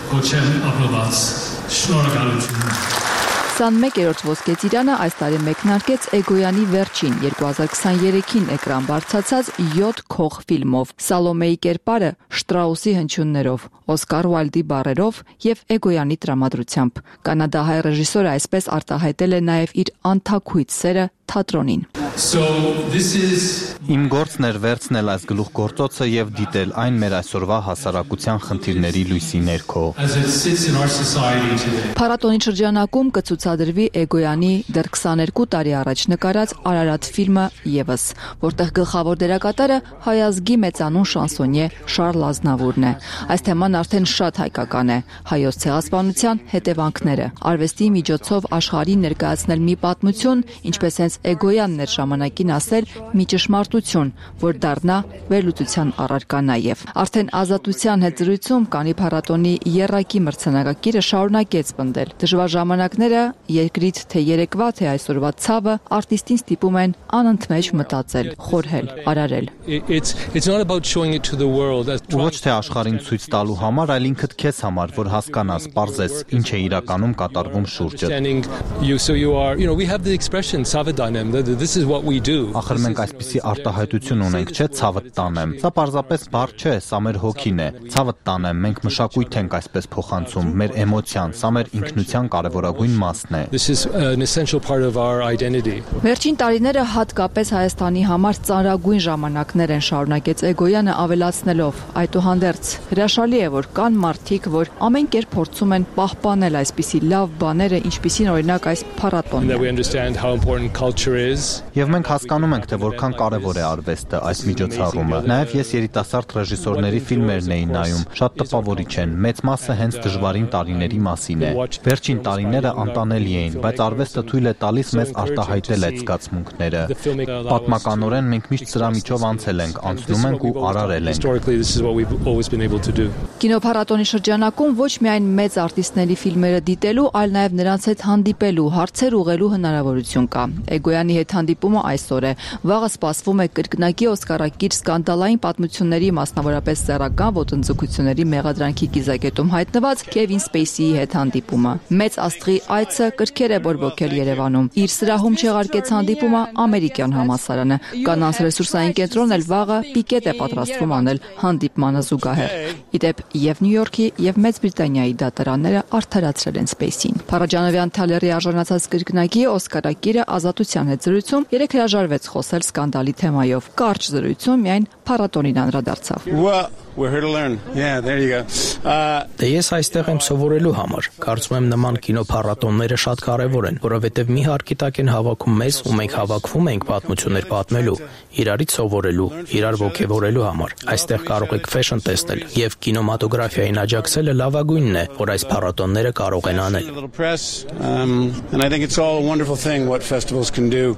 Կոչեմ ապրված, շնորհակալություն։ 21-րդ Ոսկե ծիրանը այս տարի մեկնարկեց Էգոյանի վերջին 2023-ին էկրան բարձրացած 7 քող ֆիլմով՝ Սալոմեի կերպարը Շտրաուսի հնչյուններով, Օսկար Ուայլդի բառերով եւ Էգոյանի տրամադրությամբ։ Կանադահայ ռեժիսորը այսպես արտահայտել է նաեւ իր անթաքույց սերը թատրոնին։ Իմ գործն էր վերցնել այս գլուխգործոցը եւ դիտել այն մեր այսօրվա հասարակության խնդիրների լույսի ներքո։ Փառատոնի շրջանակում կցուցադրվի Էգոյանի դեռ 22 տարի առաջ նկարած Արարատ ֆիլմը եւս, որտեղ գլխավոր դերակատարը հայազգի մեծանուն շանսոնյե Շարլ Ազնավուրն է։ Այս թեման արդեն շատ հայկական է։ Հայոց ցեղասպանության հետևանքները, արվեստի միջոցով աշխարհին ներկայացնել մի պատմություն, ինչպես հենց Էգոյանն էր ժամանակին ասել մի ճշմարտություն, որ դառնա վերլուծության առարկա նաև։ Արդեն Ազատության հետ զրույցում Կաննի փառատոնի եռակի մրցանակակիրը շարունակեց պնդել։ Դժվար ժամանակները, երկրից թե երեկվա, թե այսօրվա ցավը արտիստին ստիպում են անընդմեջ մտածել, խորհել, արարել։ Ոչ թե աշխարհին ցույց տալու համար, այլ ինքդ քեզ համար, որ հասկանաս, պարզես, ինչ է իրականում կատարվում շուրջը։ Ախր մենք այսպիսի արտահայտություն ունենք, չէ՞, ցավդ տանեմ։ Սա պարզապես բառ չէ, սա մեր հոգին է։ Ցավդ տանեմ, մենք մշակույթ ենք այսպես փոխանցում, մեր էմոցիան, սա մեր ինքնության կարևորագույն մասն է։ Վերջին տարիները հատկապես Հայաստանի համար ծանրագույն ժամանակներ են, շարունակեց Էգոյանը ավելացնելով. այդուհանդերձ հրաշալի է, որ կան մարդիկ, որ ամեն կերպ փորձում են պահպանել այսպիսի լավ բաները, ինչպիսին օրինակ այս փառատոնն է։ Եվ մենք հասկանում ենք, թե որքան կարևոր է արվեստը, այս միջոցառումը։ Նաև ես երիտասարդ ռեժիսորների ֆիլմերն էի նայում, շատ տպավորիչ են, մեծ մասը հենց դժվարին տարիների մասին է։ Վերջին տարիները անտանելի էին, բայց արվեստը թույլ է տալիս մեզ արտահայտել այդ զգացմունքները։ Պատմականորեն մենք միշտ սրա միջով անցել ենք, անցնում ենք ու արարել ենք։ Կինոփառատոնի շրջանակում ոչ միայն մեծ արտիստների ֆիլմերը դիտելու, այլ նաև նրանց հետ հանդիպելու, հարցեր ուղղելու հնարավորություն կա։ Էգոյանի հետ հանդիպումը այսօր է։ Վաղը սպասվում է կրկնակի օսկարակիր սկանդալային պատմությունների, մասնավորապես սեռական ոտնձգությունների մեղադրանքի կիզակետում հայտնված Քևին Սպեյսիի հետ հանդիպումը։ Մեծ աստղի այցը կրքեր է բորբոքել Երևանում։ Իր սրահում չեղարկեց հանդիպումը ամերիկյան համալսարանը։ Կանանց ռեսուրսային կենտրոնն էլ վաղը պիկետ է պատրաստվում անել հանդիպմանը զուգահեռ։ Իդեպ եւ Նյու Յորքի եւ Մեծ Բրիտանիայի դատարանները արդարացրել են Սպեյսին։ Փարաջանովյան թալերի արժանացած կրկնակի օսկարակիրը Ազատության հետ զրույցում երեք հրաժարվեց խոսել սկանդալի թեմայով։ Կարճ զրույցում միայն փառատոնին անդրադարձավ։ We're here to learn. Yeah, there you go. Դե ես այստեղ եմ սովորելու համար։ Կարծում եմ նման կինոփառատոնները շատ կարևոր են, որովհետև մի հարկի տակ են հավաքում մեզ ու մենք հավաքվում ենք պատմություններ պատմելու, իրարից սովորելու, իրար ոգևորելու համար։ Այստեղ կարող եք ֆեշն տեսնել եւ կինոմատոգրաֆիային աջակցելը լավագույնն է, որ այս փառատոնները կարող են անել։ And I think it's all a wonderful thing what festivals can do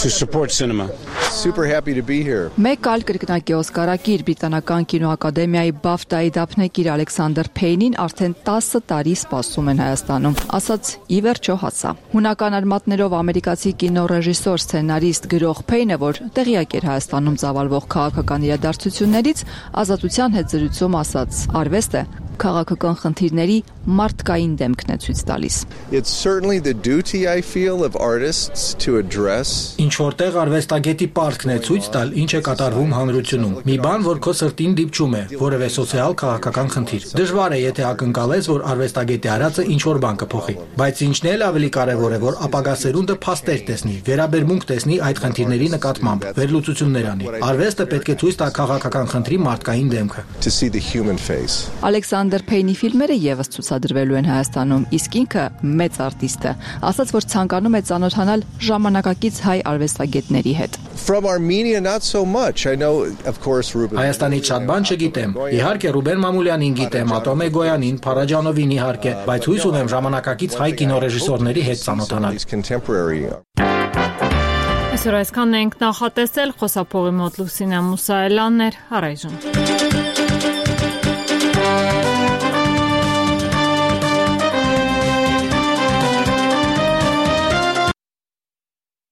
to support cinema. Super happy to be here. Մեկ այլ կրկնակի օսկարակիր բրիտանական կինոակադեմիայի բաֆտայի դափնեկիր Ալեքսանդր Փեյնին արդեն 10 տարի սպասում են Հայաստանում, ասաց ի վերջո հասա։ Հունական արմատներով ամերիկացի կինոռեժիսոր, սցենարիստ, գրող Փեյնը, որ տեղյակ էր Հայաստանում ծավալվող քաղաքական իրադարձություններից, Ազատության հետ զրույցում ասաց. արվեստը քաղաքական խնդիրների մարդկային դեմքն է ցույց տալիս։ It's certainly the duty I feel of artists to address. Ինչ որտեղ արվեստագետի պարտքն է ցույց տալ, ինչ է կատարվում հանրությունում։ Մի բան, որ քո սրտին դիպչում է, որևէ սոցիալ քաղաքական խնդիր։ Դժվար է, եթե ակնկալես, որ արվեստագետի արածը ինչ որ բան կփոխի, բայց ինչն էլ ավելի կարևոր է, որ ապագա սերունդը փաստեր տեսնի, վերաբերմունք տեսնի այդ խնդիրների նկատմամբ, վերլուծություններ անի։ Արվեստը պետք է ցույց տա քաղաքական խնդրի մարդկային դեմքը։ To see the human face. Ալեքսանդր Փեյնի ֆիլմերը եւս ցուցադրվելու են Հայաստանում, իսկ ինքը մեծ արտիստ է, ասաց, որ ցանկանում է ծանոթանալ ժամանակակից հայ արվեստագետների հետ։ From Armenia not so much. I know of course Ruben. Հայաստանից շատ բան չգիտեմ։ Իհարկե Ռուբեն Մամուլյանին գիտեմ, Ատոմե Գոյանին, Փարաջանովին իհարկե, բայց հույս ունեմ ժամանակակից հայ կինոռեժիսորների հետ ծանոթանալ։ Այսօր այսքանն ենք նախատեսել, խոսափողի մոտ Լուսինե Մուսայելյանն էր, առայժմ։